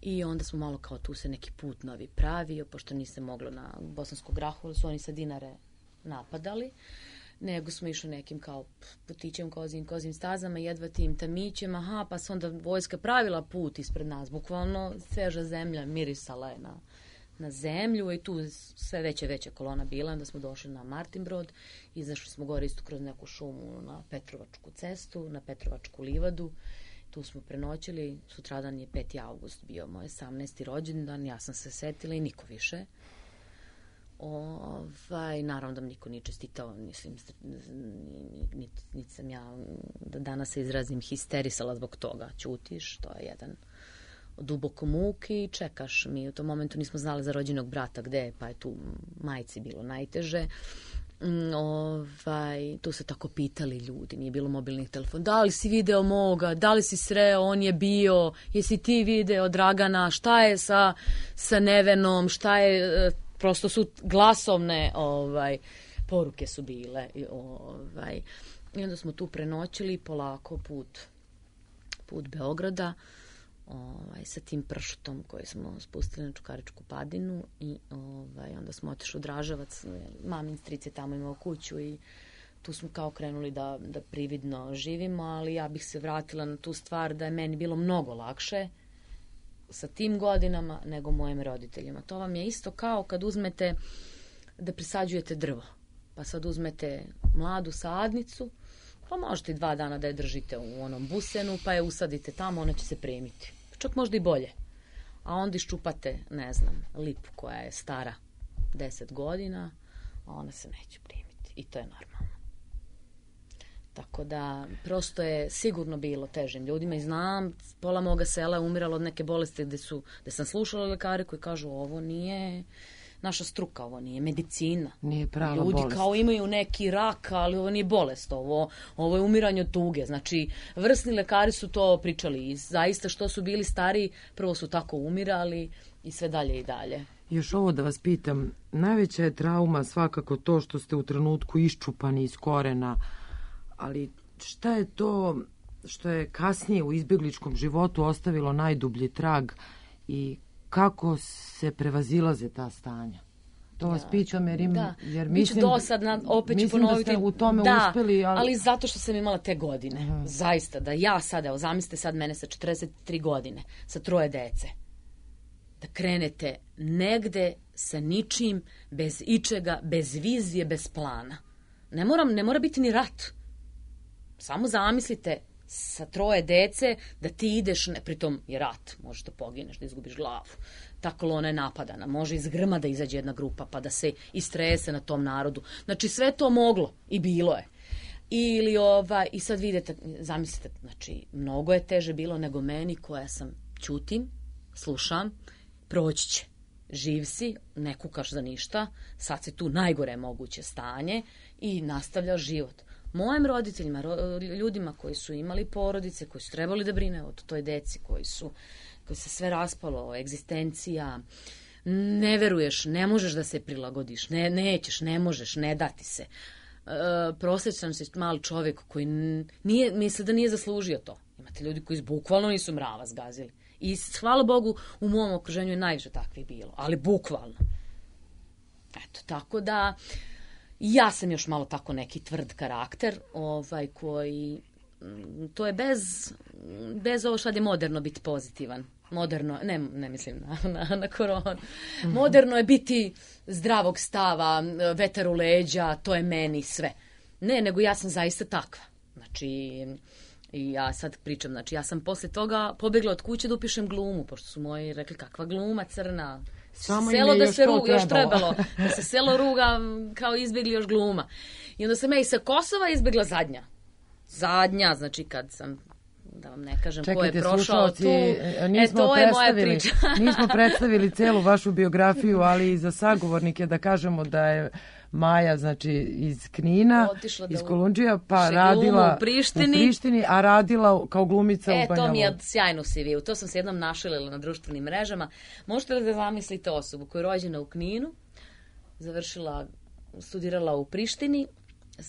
S1: I onda smo malo kao tu se neki put novi pravio, pošto niste moglo na Bosansku Grahu, su oni sa Dinare napadali, nego smo išli nekim kao putićem, kozim, kozim stazama, jedva tim tamićem, aha, pa se onda vojska pravila put ispred nas, bukvalno sveža zemlja mirisala je na, na zemlju i tu sve veća veća kolona bila, onda smo došli na Martinbrod, izašli smo gore isto kroz neku šumu na Petrovačku cestu, na Petrovačku livadu. Tu smo prenoćili, sutradan je peti avgust bio moj osamnaesti rođendan, ja sam se setila i niko više. Ovaj, naravno da mi niko nije čestitao, mislim, niti nit sam ja, da danas se izrazim, histerisala zbog toga. Ćutiš, to je jedan duboko muki i čekaš. Mi u tom momentu nismo znali za rođenog brata gde je, pa je tu majci bilo najteže. ovaj, tu se tako pitali ljudi, nije bilo mobilnih telefona. Da li si video moga, da li si sreo, on je bio, jesi ti video Dragana, šta je sa, sa Nevenom, šta je, prosto su glasovne ovaj, poruke su bile. Ovaj. I onda smo tu prenoćili polako put, put Beograda, ovaj, sa tim pršutom koji smo spustili na Čukaričku padinu i ovaj, onda smo otišli u Draževac, mamin stric je tamo imao kuću i tu smo kao krenuli da, da prividno živimo, ali ja bih se vratila na tu stvar da je meni bilo mnogo lakše sa tim godinama nego mojim roditeljima. To vam je isto kao kad uzmete da presađujete drvo, pa sad uzmete mladu sadnicu, pa možete i dva dana da je držite u onom busenu, pa je usadite tamo, ona će se primiti. Čak možda i bolje. A onda iščupate, ne znam, lipu koja je stara deset godina, a ona se neće primiti. I to je normalno. Tako da, prosto je sigurno bilo težim ljudima i znam, pola moga sela je umiralo od neke bolesti gde, su, gde sam slušala lekare koji kažu ovo nije naša struka, ovo nije medicina.
S2: Nije prava
S1: Ljudi
S2: bolest.
S1: kao imaju neki rak, ali ovo nije bolest, ovo, ovo je umiranje od tuge. Znači, vrsni lekari su to pričali i zaista što su bili stariji, prvo su tako umirali i sve dalje i dalje.
S2: Još ovo da vas pitam, najveća je trauma svakako to što ste u trenutku iščupani iz korena, ali šta je to što je kasnije u izbjegličkom životu ostavilo najdublji trag i kako se prevazilaze ta stanja? To vas
S1: Da.
S2: pitam jer, im,
S1: Da.
S2: jer
S1: Biću
S2: mislim,
S1: dosadna, opet ću
S2: mislim
S1: ponoviti.
S2: da ste u tome
S1: da,
S2: uspeli. Ali...
S1: ali zato što sam imala te godine.
S2: Aha.
S1: Zaista, da ja sad, evo, zamislite sad mene sa četrdeset tri godine, sa troje dece, da krenete negde sa ničim, bez ičega, bez vizije, bez plana. Ne, moram, ne mora biti ni rat. Samo zamislite sa troje dece da ti ideš, ne, pritom je rat, možeš da pogineš, da izgubiš glavu. Ta kolona je napadana, može iz grma da izađe jedna grupa pa da se istrese na tom narodu. Znači sve to moglo i bilo je. Ili ova, i sad vidite, zamislite, znači mnogo je teže bilo nego meni koja sam ćutim, slušam, proći će. Živ si, ne kukaš za ništa, sad si tu najgore moguće stanje i nastavljaš život. Mojim roditeljima, ljudima koji su imali porodice, koji su trebali da brine o toj deci, koji su, koji se sve raspalo, egzistencija, ne veruješ, ne možeš da se prilagodiš, ne, nećeš, ne možeš, ne dati se. E, prosječan si mali čovjek koji nije, misle da nije zaslužio to. Imate ljudi koji bukvalno nisu mrava zgazili. I hvala Bogu, u mom okruženju je najviše takvih bilo, ali bukvalno. Eto, tako da... Ja sam još malo tako neki tvrd karakter, ovaj, koji, to je bez, bez ovo što je moderno biti pozitivan. Moderno, ne, ne mislim na, na, na koronu. Moderno je biti zdravog stava, vetar u leđa, to je meni sve. Ne, nego ja sam zaista takva. Znači, i ja sad pričam, znači ja sam posle toga pobjegla od kuće da upišem glumu, pošto su moji rekli kakva gluma crna.
S2: Samo
S1: selo da
S2: još
S1: se
S2: to
S1: ruga, još
S2: trebalo.
S1: trebalo, da se selo ruga kao izbjegli još gluma. I onda sam ja i sa Kosova izbjegla zadnja. Zadnja, znači kad sam, da vam ne kažem ko je prošao tu, e to je moja priča.
S2: Nismo predstavili celu vašu biografiju, ali i za sagovornike da kažemo da je Maja, znači iz Knina, iz Kolundžija, pa radila
S1: u Prištini.
S2: u Prištini, a radila kao glumica
S1: e,
S2: u Banja
S1: to mi je
S2: Luci.
S1: sjajno C V-u. To sam se jednom našalila na društvenim mrežama. Možete li da zamislite osobu koja je rođena u Kninu, završila, studirala u Prištini,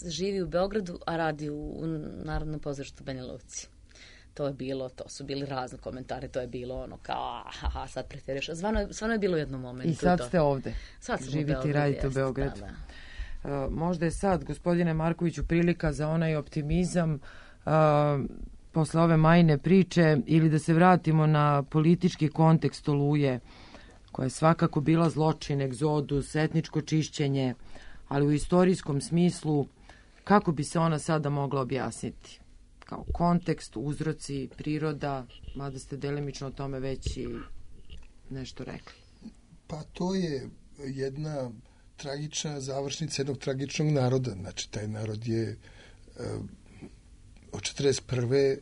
S1: živi u Beogradu, a radi u Narodnom pozorištu u Banja Luci. To je bilo, to su bili razni komentari, to je bilo ono kao, aha, sad pretjeriš. Stvarno je, stvarno je bilo u jednom momentu.
S2: I sad
S1: to.
S2: ste ovde.
S1: Sad smo
S2: živite
S1: u Beogradu,
S2: i radite
S1: jeste,
S2: u Beogradu.
S1: Da, da.
S2: Uh, možda je sad, gospodine Markoviću, prilika za onaj optimizam uh, posle ove Majine priče ili da se vratimo na politički kontekst Oluje, koja je svakako bila zločin, egzodus, etničko čišćenje, ali u istorijskom smislu kako bi se ona sada mogla objasniti? Kao kontekst, uzroci, priroda, mada ste delimično o tome već i nešto rekli.
S8: Pa to je jedna tragična završnica jednog tragičnog naroda. Znači, taj narod je uh, od četrdeset prve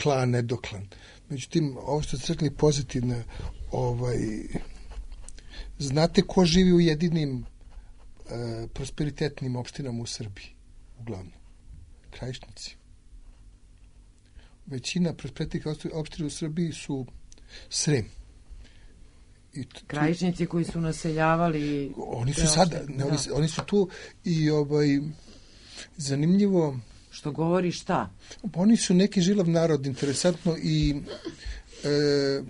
S8: klan, nedoklan. Međutim, ovo što ste rekli pozitivno, ovaj, znate ko živi u jedinim e, prosperitetnim opštinama u Srbiji, uglavnom. Krajišnici. Većina prosperitetnih opština u Srbiji su Srem. I tu,
S2: Krajišnici koji su naseljavali...
S8: Oni su sada, ne, oni, da. oni su tu i ovaj, zanimljivo...
S2: Što govori šta?
S8: Oni su neki žilav narod, interesantno, i e,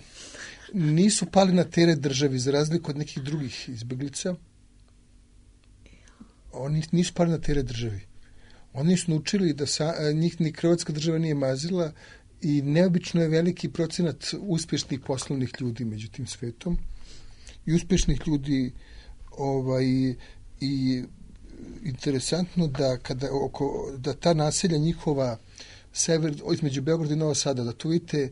S8: nisu pali na teret državi, za razliku od nekih drugih izbeglica. Oni nisu pali na teret državi. Oni su naučili da sa, njih ni Hrvatska država nije mazila i neobično je veliki procenat uspješnih poslovnih ljudi među tim svetom. I uspješnih ljudi ovaj, i interesantno da kada oko, da ta naselja njihova sever, između Beograda i Novog Sada, da tu vidite e,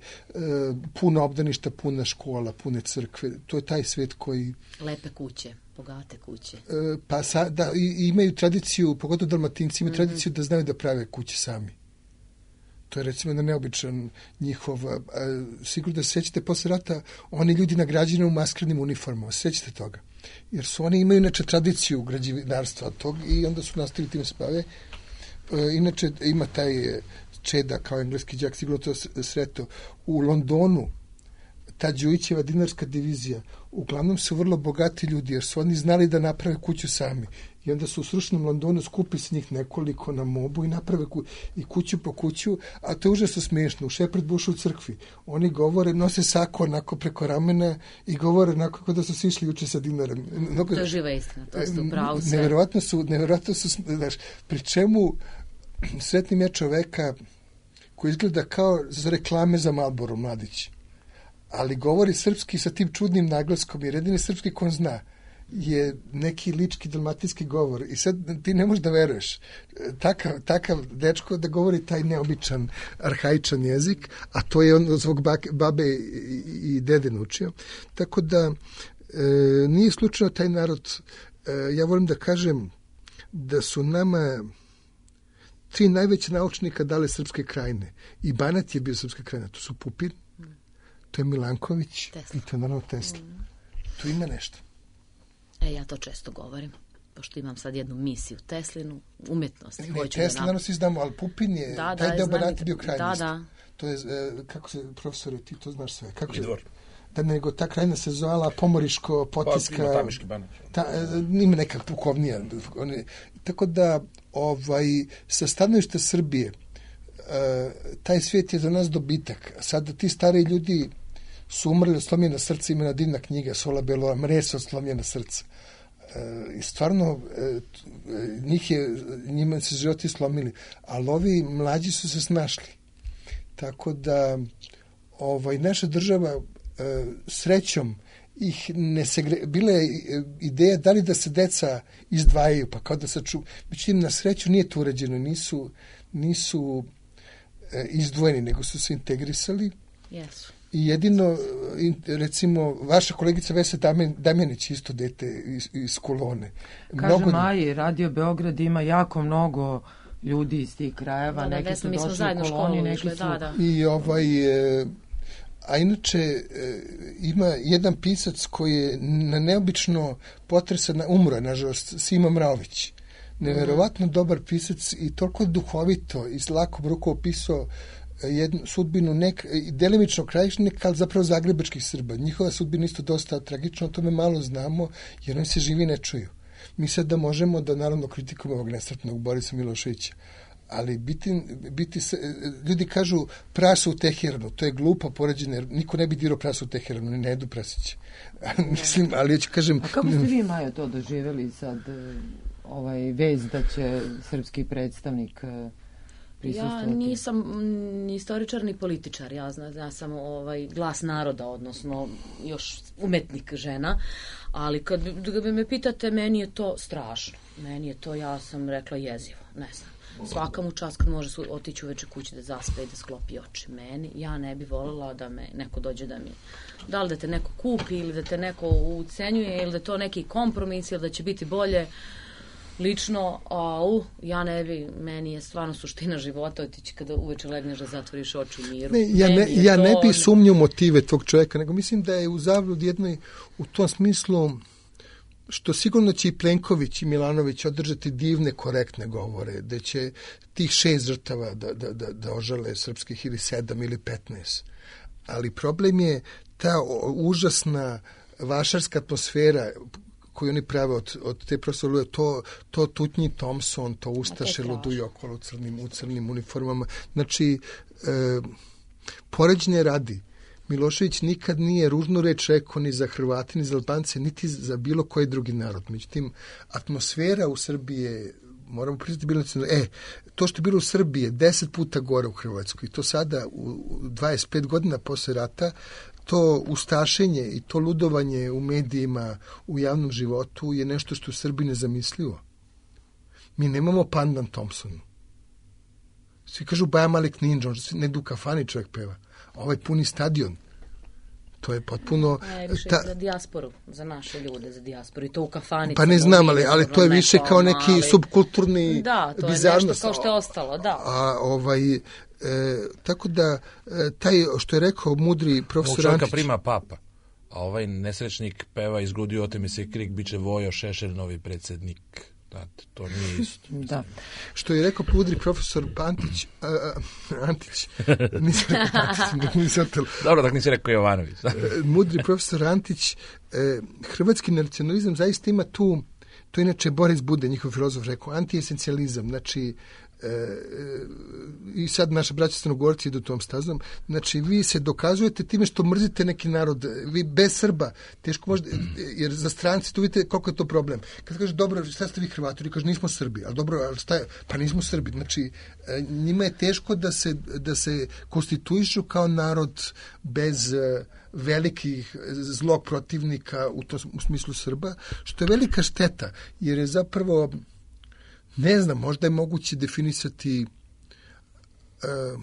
S8: puno obdaništa, puna škola, pune crkve. To je taj svet koji...
S1: Lepe kuće, bogate kuće.
S8: E, pa sa, da, i, imaju tradiciju, pogotovo Dalmatinci, imaju mm-hmm. tradiciju da znaju da prave kuće sami. To je recimo jedan neobičan njihov... A, a, sigurno da se sjećate posle rata, oni ljudi nagrađeni u maskernim uniformama, sjećate toga. Jer su oni imaju inače tradiciju građevinarstva tog i onda su nastavili tim se bave. E, inače ima taj Čeda kao engleski đak, sigurno to sreto. U Londonu ta Đujićeva dinarska divizija uglavnom su vrlo bogati ljudi jer su oni znali da naprave kuću sami. I onda su u srušenom Londonu skupi se njih nekoliko na mobu i naprave ku, i kuću po kuću, a to je užasno smiješno. U Shepherd Bushu u crkvi oni govore, nose sako onako preko ramena i govore onako kako da su svi išli juče sa dinarom.
S1: Mnogo, to je živa istina, to ste upravo sve.
S8: Neverovatno su, neverovatno su, znaš, pri čemu sretnim ja čoveka koji izgleda kao za reklame za Marlboro mladić, ali govori srpski sa tim čudnim naglaskom jer jedini srpski ko on zna je neki lički dalmatinski govor i sad ti ne možeš da veruješ takav, takav dečko da govori taj neobičan arhaičan jezik, a to je on zbog babe i, i dede naučio. Tako da e, nije slučajno taj narod, e, ja volim da kažem da su nama tri najveće naučnika dale Srpske krajine i Banat je bio Srpska krajina, to su Pupin, to je Milanković Tesla. I to je naravno Tesla. Mm. Tu ima nešto.
S1: E, ja to često govorim, pošto imam sad jednu misiju Teslinu, umetnost.
S8: Ne, ne Tesla, naravno svi znamo, ali Pupin je, da, taj da, deo Banata bio krajnost. Da, da. To je, kako se, profesore, ti to znaš sve. Kako
S9: Idvor.
S8: Da nego ta krajina se zvala Pomoriško, Potiska.
S9: Pa, ima Tamiški Banat.
S8: Ta, ima neka pukovnija. Tako da, ovaj, sa stanovišta Srbije, taj svijet je za nas dobitak. Sada ti stari ljudi su umrli od slomljena srca, imena divna knjiga Sola Belora, Mresa od slomljena srca. E, I stvarno e, njih je, njima se životi slomili, ali ovi mlađi su se snašli. Tako da ovaj, naša država e, srećom ih ne segre... Bila je ideja da li da se deca izdvajaju, pa kao da se ču... Međutim, na sreću nije to uređeno, nisu, nisu e, izdvojeni, nego su se integrisali.
S1: Jesu.
S8: I jedino, recimo, vaša kolegica Vesa Damjanić, isto dete iz, iz Kolone.
S2: Kaže mnogo... Maji, Radio Beograd ima jako mnogo ljudi iz tih krajeva, da, neki da, su došli u Koloni, neki su... Da, da.
S8: I ovaj... E, a inače, e, ima jedan pisac koji je na neobično potresan, umro je, nažalost, Sima Mraović. Neverovatno mm. dobar pisac i toliko duhovito i s lakom rukom opisao jednu sudbinu nek, delimično krajišnika, ali zapravo zagrebačkih Srba. Njihova sudbina isto dosta tragična, o tome malo znamo, jer oni se živi ne čuju. Mi sad da možemo da naravno kritikujemo ovog nesretnog Borisa Miloševića, ali biti, biti, ljudi kažu prasa u Teheranu, to je glupo poređenje, jer niko ne bi dirao prasa u Teheranu, ne jedu prasiće. Mislim, ali ja ću kažem...
S2: A kako ste vi, Majo, to doživjeli sad, ovaj vez da će srpski predstavnik...
S1: Ja nisam ni istoričar ni političar, ja, zna, ja sam ovaj glas naroda, odnosno još umetnik žena, ali kad, kad bi me pitate, meni je to strašno, meni je to, ja sam rekla, jezivo, ne znam. Svaka mu čast kad može otići uveče kući da zaspe i da sklopi oči. Meni, ja ne bi voljela da me neko dođe da mi, da li da te neko kupi ili da te neko ucenjuje ili da to neki kompromis ili da će biti bolje. Lično, au, ja ne bi, meni je stvarno suština života otići kada uveče legneš da zatvoriš oči u miru.
S8: Ne, ja ne, ja to... ne bi sumnjao motive tog čovjeka, nego mislim da je u zabludi jednoj, u tom smislu, što sigurno će i Plenković i Milanović održati divne, korektne govore, da će tih šest žrtava da, da, da, da ožale srpskih ili sedam ili petnaest. Ali problem je ta užasna vašarska atmosfera koju oni prave od, od te profesora, to, to Tutnji Thompson, to Ustaše luduju okolo u crnim, u crnim uniformama. Znači, e, poređenje radi. Milošević nikad nije ružnu reč rekao ni za Hrvati, ni za Albance, niti za bilo koji drugi narod. Međutim, atmosfera u Srbiji je, moramo priznati, bilo e, to što je bilo u Srbiji je deset puta gore u Hrvatskoj. I to sada, u dvadeset pet godina posle rata, to ustašenje i to ludovanje u medijima, u javnom životu je nešto što u Srbiji nezamislivo. Mi nemamo pandan Thompsonu. Svi kažu Baja Malik Ninja, on ne du kafani čovjek peva. Ovaj puni stadion. To je potpuno...
S1: E, više ta... za dijasporu, za naše ljude, za dijasporu. I to u kafani.
S8: Pa ne znam, ali, ali to je više kao neki ali... subkulturni
S1: da, to
S8: bizarnost.
S1: Je nešto kao što je ostalo, da.
S8: A ovaj... E, tako da, e, taj, što je rekao mudri profesor Antić...
S9: prima papa, a ovaj nesrećnik peva iz grudi ote mi se krik, bit će Vojo Šešelj novi predsjednik. Znate, to nije isto.
S2: Da.
S8: Što je rekao mudri profesor Pantić, a, a, Antić, nisam rekao Pantić, nisam telo.
S9: Dobro, tako nisi rekao Jovanović.
S8: Mudri profesor Antić, e, hrvatski nacionalizam zaista ima tu, to inače Boris Bude, njihov filozof, rekao, antiesencializam, znači, E, i sad naša braća Crnogorci idu tom stazom, znači vi se dokazujete time što mrzite neki narod, vi bez Srba teško možete, jer za stranci tu vidite koliko je to problem. Kad kažeš dobro, šta ste vi Hrvati, oni kažu nismo Srbi, ali dobro, ali šta je? Pa nismo Srbi, znači njima je teško da se, da se konstituišu kao narod bez velikih zlog protivnika u, to, u smislu Srba, što je velika šteta, jer je zapravo ne znam, možda je moguće definisati uh,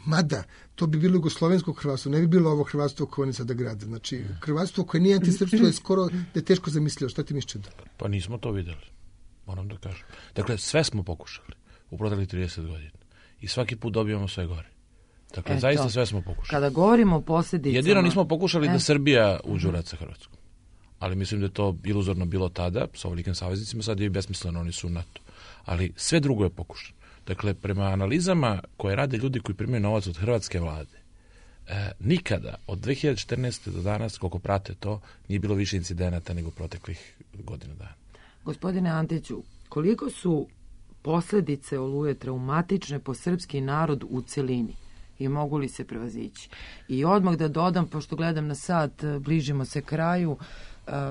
S8: mada, to bi bilo jugoslovensko hrvatstvo, ne bi bilo ovo hrvatstvo koje oni sada grade. Znači, hrvatstvo koje nije antisrpstvo je skoro da je teško zamislio. Šta ti misliš?
S9: Pa nismo to videli, moram da kažem. Dakle, sve smo pokušali u proteklih trideset godina. I svaki put dobijamo sve gore. Dakle, Eto, zaista sve smo pokušali.
S2: Kada govorimo o posljedicama...
S9: Jedino nismo pokušali e? da Srbija uđe u rat sa Hrvatskom. Ali mislim da je to iluzorno bilo tada, sa ovolikim saveznicima, sad je i besmisleno, oni su u NATO. Ali sve drugo je pokušano. Dakle, prema analizama koje rade ljudi koji primaju novac od hrvatske vlade, e, nikada od dve hiljade četrnaeste. do danas, koliko prate to, nije bilo više incidenata nego proteklih godina dana.
S2: Gospodine Antiću, koliko su posljedice Oluje traumatične po srpski narod u celini i mogu li se prevazići? I odmah da dodam, pošto gledam na sat, bližimo se kraju,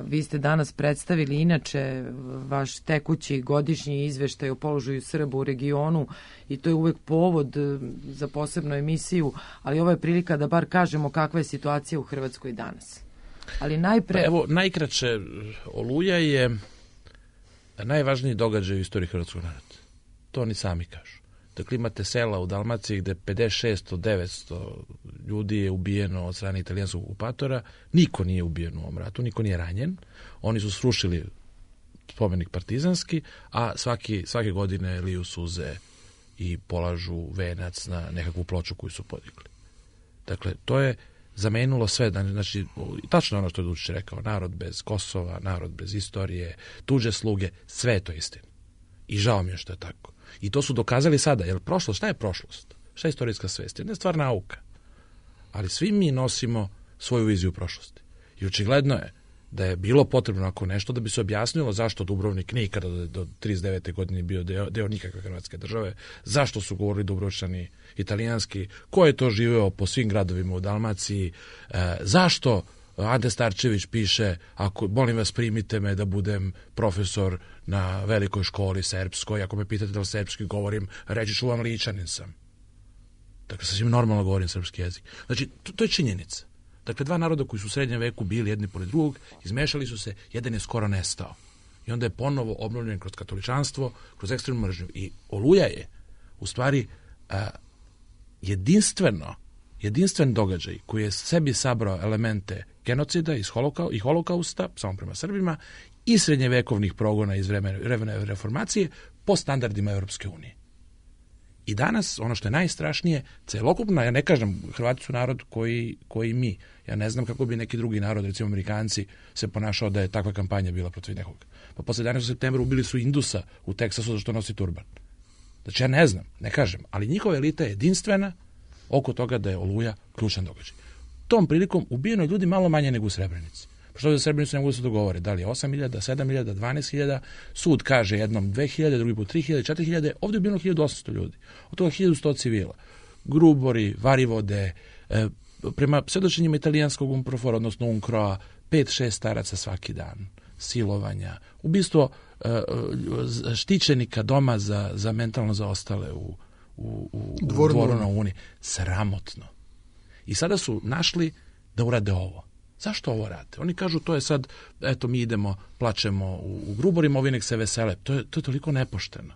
S2: vi ste danas predstavili inače vaš tekući godišnji izveštaj o položaju Srba u regionu i to je uvek povod za posebnu emisiju, ali ovo je prilika da bar kažemo kakva je situacija u Hrvatskoj danas. Ali najpre...
S9: Pa evo, najkraće, Oluja je najvažniji događaj u istoriji hrvatskog naroda. To oni sami kažu. Dakle, imate sela u Dalmaciji gde pedeset šest od devetsto ljudi je ubijeno od strane italijanskog okupatora. Niko nije ubijen u ovom ratu, niko nije ranjen. Oni su srušili spomenik partizanski, a svaki, svake godine liju suze i polažu venac na nekakvu ploču koju su podigli. Dakle, to je zamenilo sve. Znači, tačno ono što je Dučić rekao, narod bez Kosova, narod bez istorije, tuđe sluge, sve je to istina. I žao mi je što je tako. I to su dokazali sada, jer prošlost, šta je prošlost? Šta je istorijska svest? Jedna je stvar nauka. Ali svi mi nosimo svoju viziju prošlosti. I očigledno je da je bilo potrebno ako nešto da bi se objasnilo zašto Dubrovnik nikada do, do trideset devete godine bio deo, deo nikakve hrvatske države, zašto su govorili Dubrovčani italijanski, ko je to živeo po svim gradovima u Dalmaciji, e, zašto Ante Starčević piše, ako molim vas primite me da budem profesor na velikoj školi srpskoj, ako me pitate da li srpski govorim, reći ću vam Ličanin sam. Dakle, sasvim normalno govorim srpski jezik. Znači, to, to je činjenica. Dakle, dva naroda koji su u srednjem veku bili jedni pored drugog, izmešali su se, jedan je skoro nestao. I onda je ponovo obnovljen kroz katoličanstvo, kroz ekstremnu mržnju. I Oluja je, u stvari, a, jedinstveno, jedinstven događaj koji je sebi sabrao elemente genocida iz holokau, i holokausta, samo prema Srbima, i srednjevekovnih progona iz vremena, vremena reformacije po standardima Europske unije. I danas, ono što je najstrašnije, celokupno, ja ne kažem, Hrvati su narod koji, koji mi. Ja ne znam kako bi neki drugi narod, recimo Amerikanci, se ponašao da je takva kampanja bila protiv nekoga. Pa posle jedanaestog septembra ubili su Indusa u Teksasu zašto nosi turban. Znači ja ne znam, ne kažem, ali njihova elita je jedinstvena oko toga da je Oluja ključan događaj. Tom prilikom ubijeno ljudi malo manje nego u Srebrenici. Što za Srebrenicu ne mogu da se dogovore, da li je osam hiljada, sedam hiljada, dvanaest hiljada, sud kaže jednom dve hiljade, drugi put tri hiljade, četiri hiljade, ovdje je ubijeno hiljadu osamsto ljudi, od toga hiljadu sto civila. Grubori, Varivode, e, prema svedočenjima italijanskog Umprofora, odnosno Unkroa, pet šest staraca svaki dan, silovanja, ubistvo e, štićenika doma za, za mentalno zaostale u, u, u, u Dvoru na Uni. Sramotno. I sada su našli da urade ovo. Zašto ovo rade? Oni kažu to je sad, eto mi idemo, plačemo u, u Gruborima, ovi nek se vesele. To je, to je toliko nepošteno.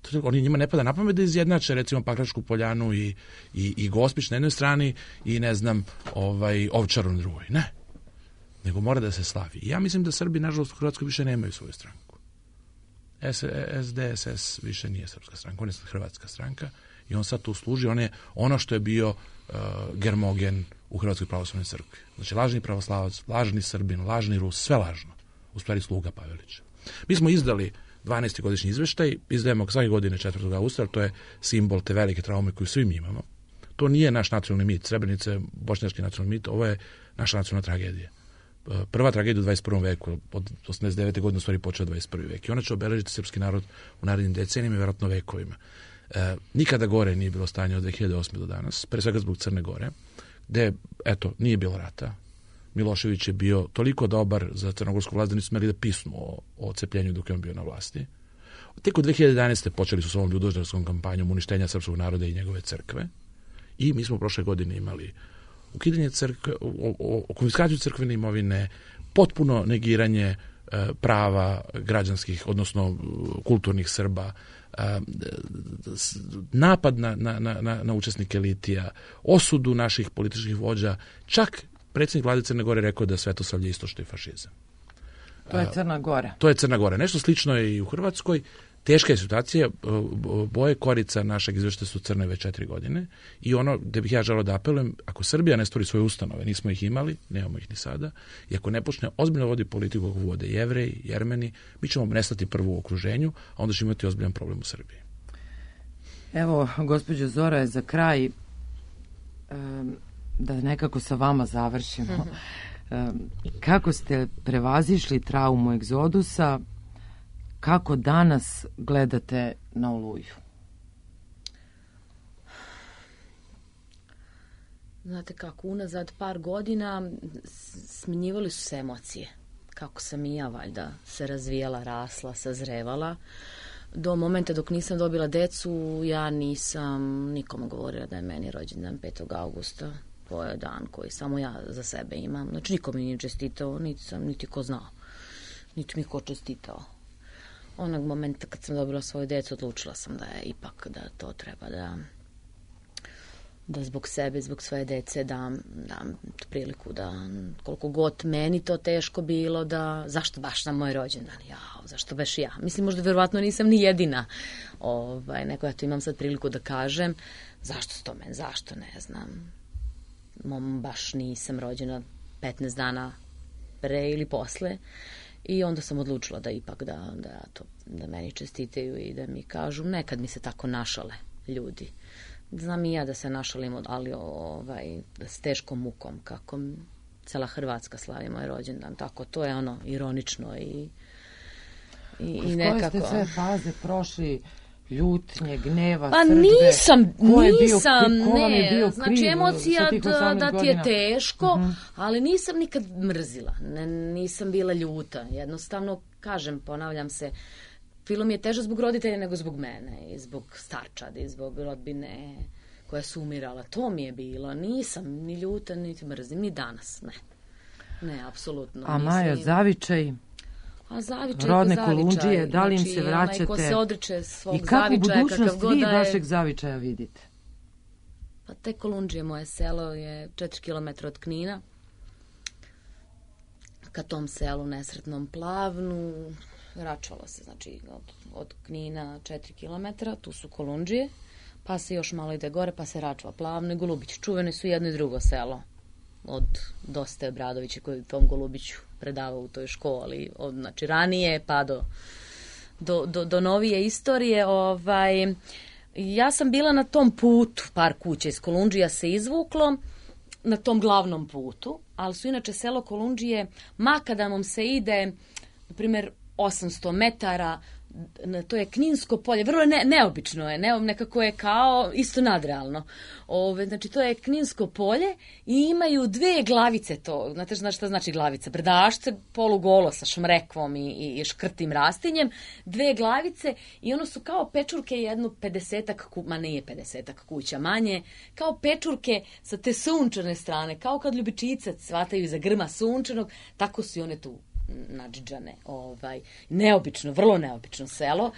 S9: To je toliko, oni njima ne pada na pamet da izjednače recimo Pakračku poljanu i, i, i Gospić na jednoj strani i ne znam ovaj, Ovčaru na drugoj. Ne. Nego mora da se slavi. I ja mislim da Srbi, nažalost, u Hrvatskoj više nemaju svoju stranku. S D S S više nije srpska stranka, on je hrvatska stranka i on sad tu služi, on je ono što je bio uh, Germogen u Hrvatskoj pravoslavnoj crkvi. Znači, lažni pravoslavac, lažni Srbin, lažni Rus, sve lažno. U stvari sluga Pavelića. Mi smo izdali dvanaesti godišnji izveštaj, izdajemo svake godine četvrtog avgusta, to je simbol te velike traume koju svi mi imamo. To nije naš nacionalni mit, Srebrenica je bošnjački nacionalni mit, ovo je naša nacionalna tragedija. Prva tragedija u dvadeset prvom veku, od osamdeset devete godine u stvari počeo dvadeset prvi vek. I ona će obeležiti srpski narod u narednim decenijama i vjerojatno vekovima. E, nikada gore nije bilo stanje od dve hiljade osme do danas, pre svega zbog Crne Gore, gde, eto, nije bilo rata. Milošević je bio toliko dobar za crnogorsku vlast da nisu smeli da pisnu o, o cepljenju dok je on bio na vlasti. Tek od dve hiljade jedanaeste počeli su s ovom ljudožderskom kampanjom uništenja srpskog naroda i njegove crkve. I mi smo prošle godine imali ukidanje crkve, konfiskaciju crkvene imovine, potpuno negiranje e, prava građanskih, odnosno kulturnih Srba, e, napad na, na, na, na učesnike litija, osudu naših političkih vođa, čak predsjednik vlade Crne Gore rekao da svetosavlje isto što je fašizam.
S2: To je Crna Gora.
S9: To je Crna Gora. Nešto slično je i u Hrvatskoj. Teška je situacija, boje korica našeg izveštaja su crne već četiri godine i ono gde bih ja želeo da apelujem, ako Srbija ne stvori svoje ustanove, nismo ih imali, nemamo ih ni sada, i ako ne počne ozbiljno vodi politiku kako vode Jevreji, Jermeni, mi ćemo nestati prvo u okruženju, a onda ćemo imati ozbiljan problem u Srbiji.
S2: Evo, gospođo Zora, za kraj, da nekako sa vama završimo. Kako ste prevazišli traumu egzodusa? Kako danas gledate na Oluju?
S1: Znate kako, unazad par godina smenjivali su se emocije. Kako sam i ja valjda se razvijala, rasla, sazrevala. Do momenta dok nisam dobila decu, ja nisam nikome govorila da je meni rođendan petog avgusta. To je dan koji samo ja za sebe imam. Znači niko mi nije čestitao, niti sam, niti ko znao. Niti mi ko čestitao. Onog momenta kad sam dobila svoju decu, odlučila sam da je ipak da to treba da da zbog sebe, zbog svoje dece dam, dam priliku da koliko god meni to teško bilo, da zašto baš na moj rođendan, jao, zašto baš ja. Mislim, možda verovatno nisam ni jedina. Ovaj, neko ja to imam sad priliku da kažem, zašto s tome, zašto, ne znam. Mom baš nisam rođena petnaest dana pre ili posle. I onda sam odlučila da ipak da, da, to, da meni čestitaju i da mi kažu, nekad mi se tako našale ljudi. Znam i ja da se našalim, ali ovaj, s teškom mukom, kako cela Hrvatska slavi moj rođendan. Tako, to je ono ironično i, i, i nekako...
S2: Koje ste sve faze prošli, ljutnje, gneva,
S1: pa
S2: srdbe?
S1: nisam,
S2: ko je
S1: nisam,
S2: bio, ko
S1: ne,
S2: bio
S1: znači emocija da, da ti je teško,
S2: uh-huh.
S1: ali nisam nikad mrzila, ne, nisam bila ljuta, jednostavno, kažem, ponavljam se, film je teže zbog roditelja nego zbog mene, i zbog starčadi, i zbog rodbine koja su umirala, to mi je bilo, nisam ni ljuta, niti mrzim, ni danas, ne, ne, apsolutno.
S2: A Majo, zavičaj?
S1: A zavičaj,
S2: rodne
S1: zavičaj,
S2: Kolundžije, da li im se vraćate?
S1: Onaj ko se odriče svog
S2: i kako
S1: zavičaja,
S2: budućnost vi
S1: je...
S2: vašeg zavičaja vidite?
S1: Pa te Kolundžije, moje selo je četiri kilometra od Knina. Ka tom selu nesretnom Plavnu račvalo se, znači od, od Knina četiri kilometra, tu su Kolundžije. pa se još malo ide gore, pa se Račva, Plavno i Golubić. Čuvene su jedno i drugo selo od Doste Obradovića koji je tom Golubiću predavao u toj školi, od, znači ranije pa do, do, do, do novije istorije. Ovaj, ja sam bila na tom putu, par kuća iz Kolundžija se izvuklo, na tom glavnom putu, ali su inače selo Kolundžije, makadamom se ide, na primjer, osamsto metara, to je Kninsko polje, vrlo ne, neobično je, ne, nekako je kao isto nadrealno. Ove, znači to je Kninsko polje i imaju dve glavice to, znate znaš šta znači glavica, brdašce polugolo sa šmrekvom i, i, i škrtim rastinjem, dve glavice i ono su kao pečurke jedno pedesetak, ma nije pedesetak kuća manje, kao pečurke sa te sunčane strane, kao kad ljubičicac shvataju iza grma sunčanog, tako su i one tu nadžiđane, ovaj, neobično, vrlo neobično selo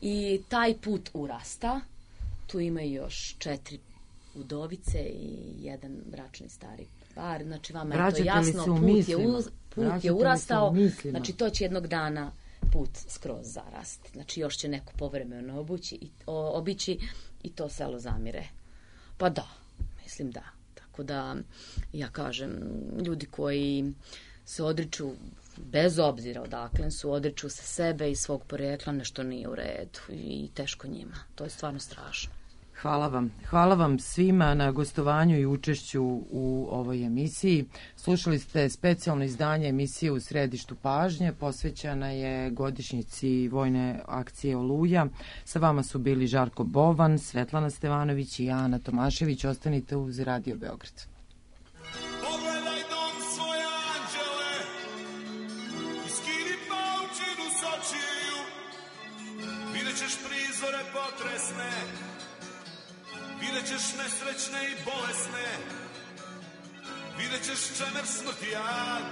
S1: i taj put urasta, tu ima još četiri udovice i jedan bračni stari par, znači vama je to jasno, put je, u, put je urastao, znači to će jednog dana put skroz zarasti, znači još će neko povremeno obući i, o, obići i to selo zamire. Pa da, mislim da, tako da ja kažem, ljudi koji se odriču bez obzira odakle su, odriču se sebe i svog porekla, nešto nije u redu i teško njima. To je stvarno strašno.
S2: Hvala vam. Hvala vam svima na gostovanju i učešću u ovoj emisiji. Slušali ste specijalno izdanje emisije U središtu pažnje, posvećana je godišnjici vojne akcije Oluja. Sa vama su bili Žarko Bovan, Svetlana Stevanović i Ana Tomašević. Ostanite uz Radio Beograd.
S10: Prizore potresne, vidjet ćeš nesrećne i bolesne, vidjet ćeš čemer smrti jad.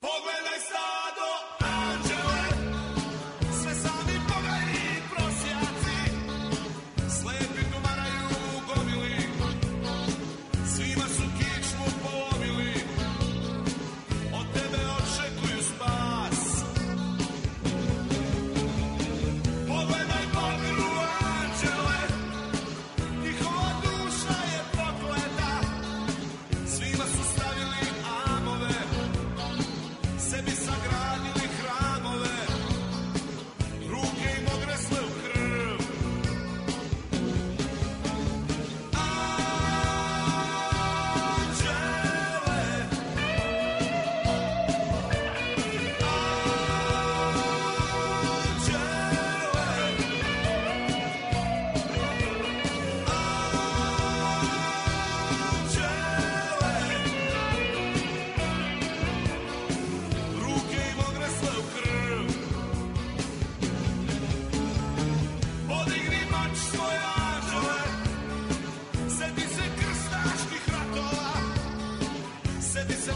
S10: Pogledaj stado anđele, sve sami bogaji prosjaci, slepi tumaraju u gomili, svima su kičmu polomili. Pogledaj Bogu anđele, njihova duša je prokleta, svima su stavili amove, sebi sagradili hramove, ruke im ogresle u krv. Seti se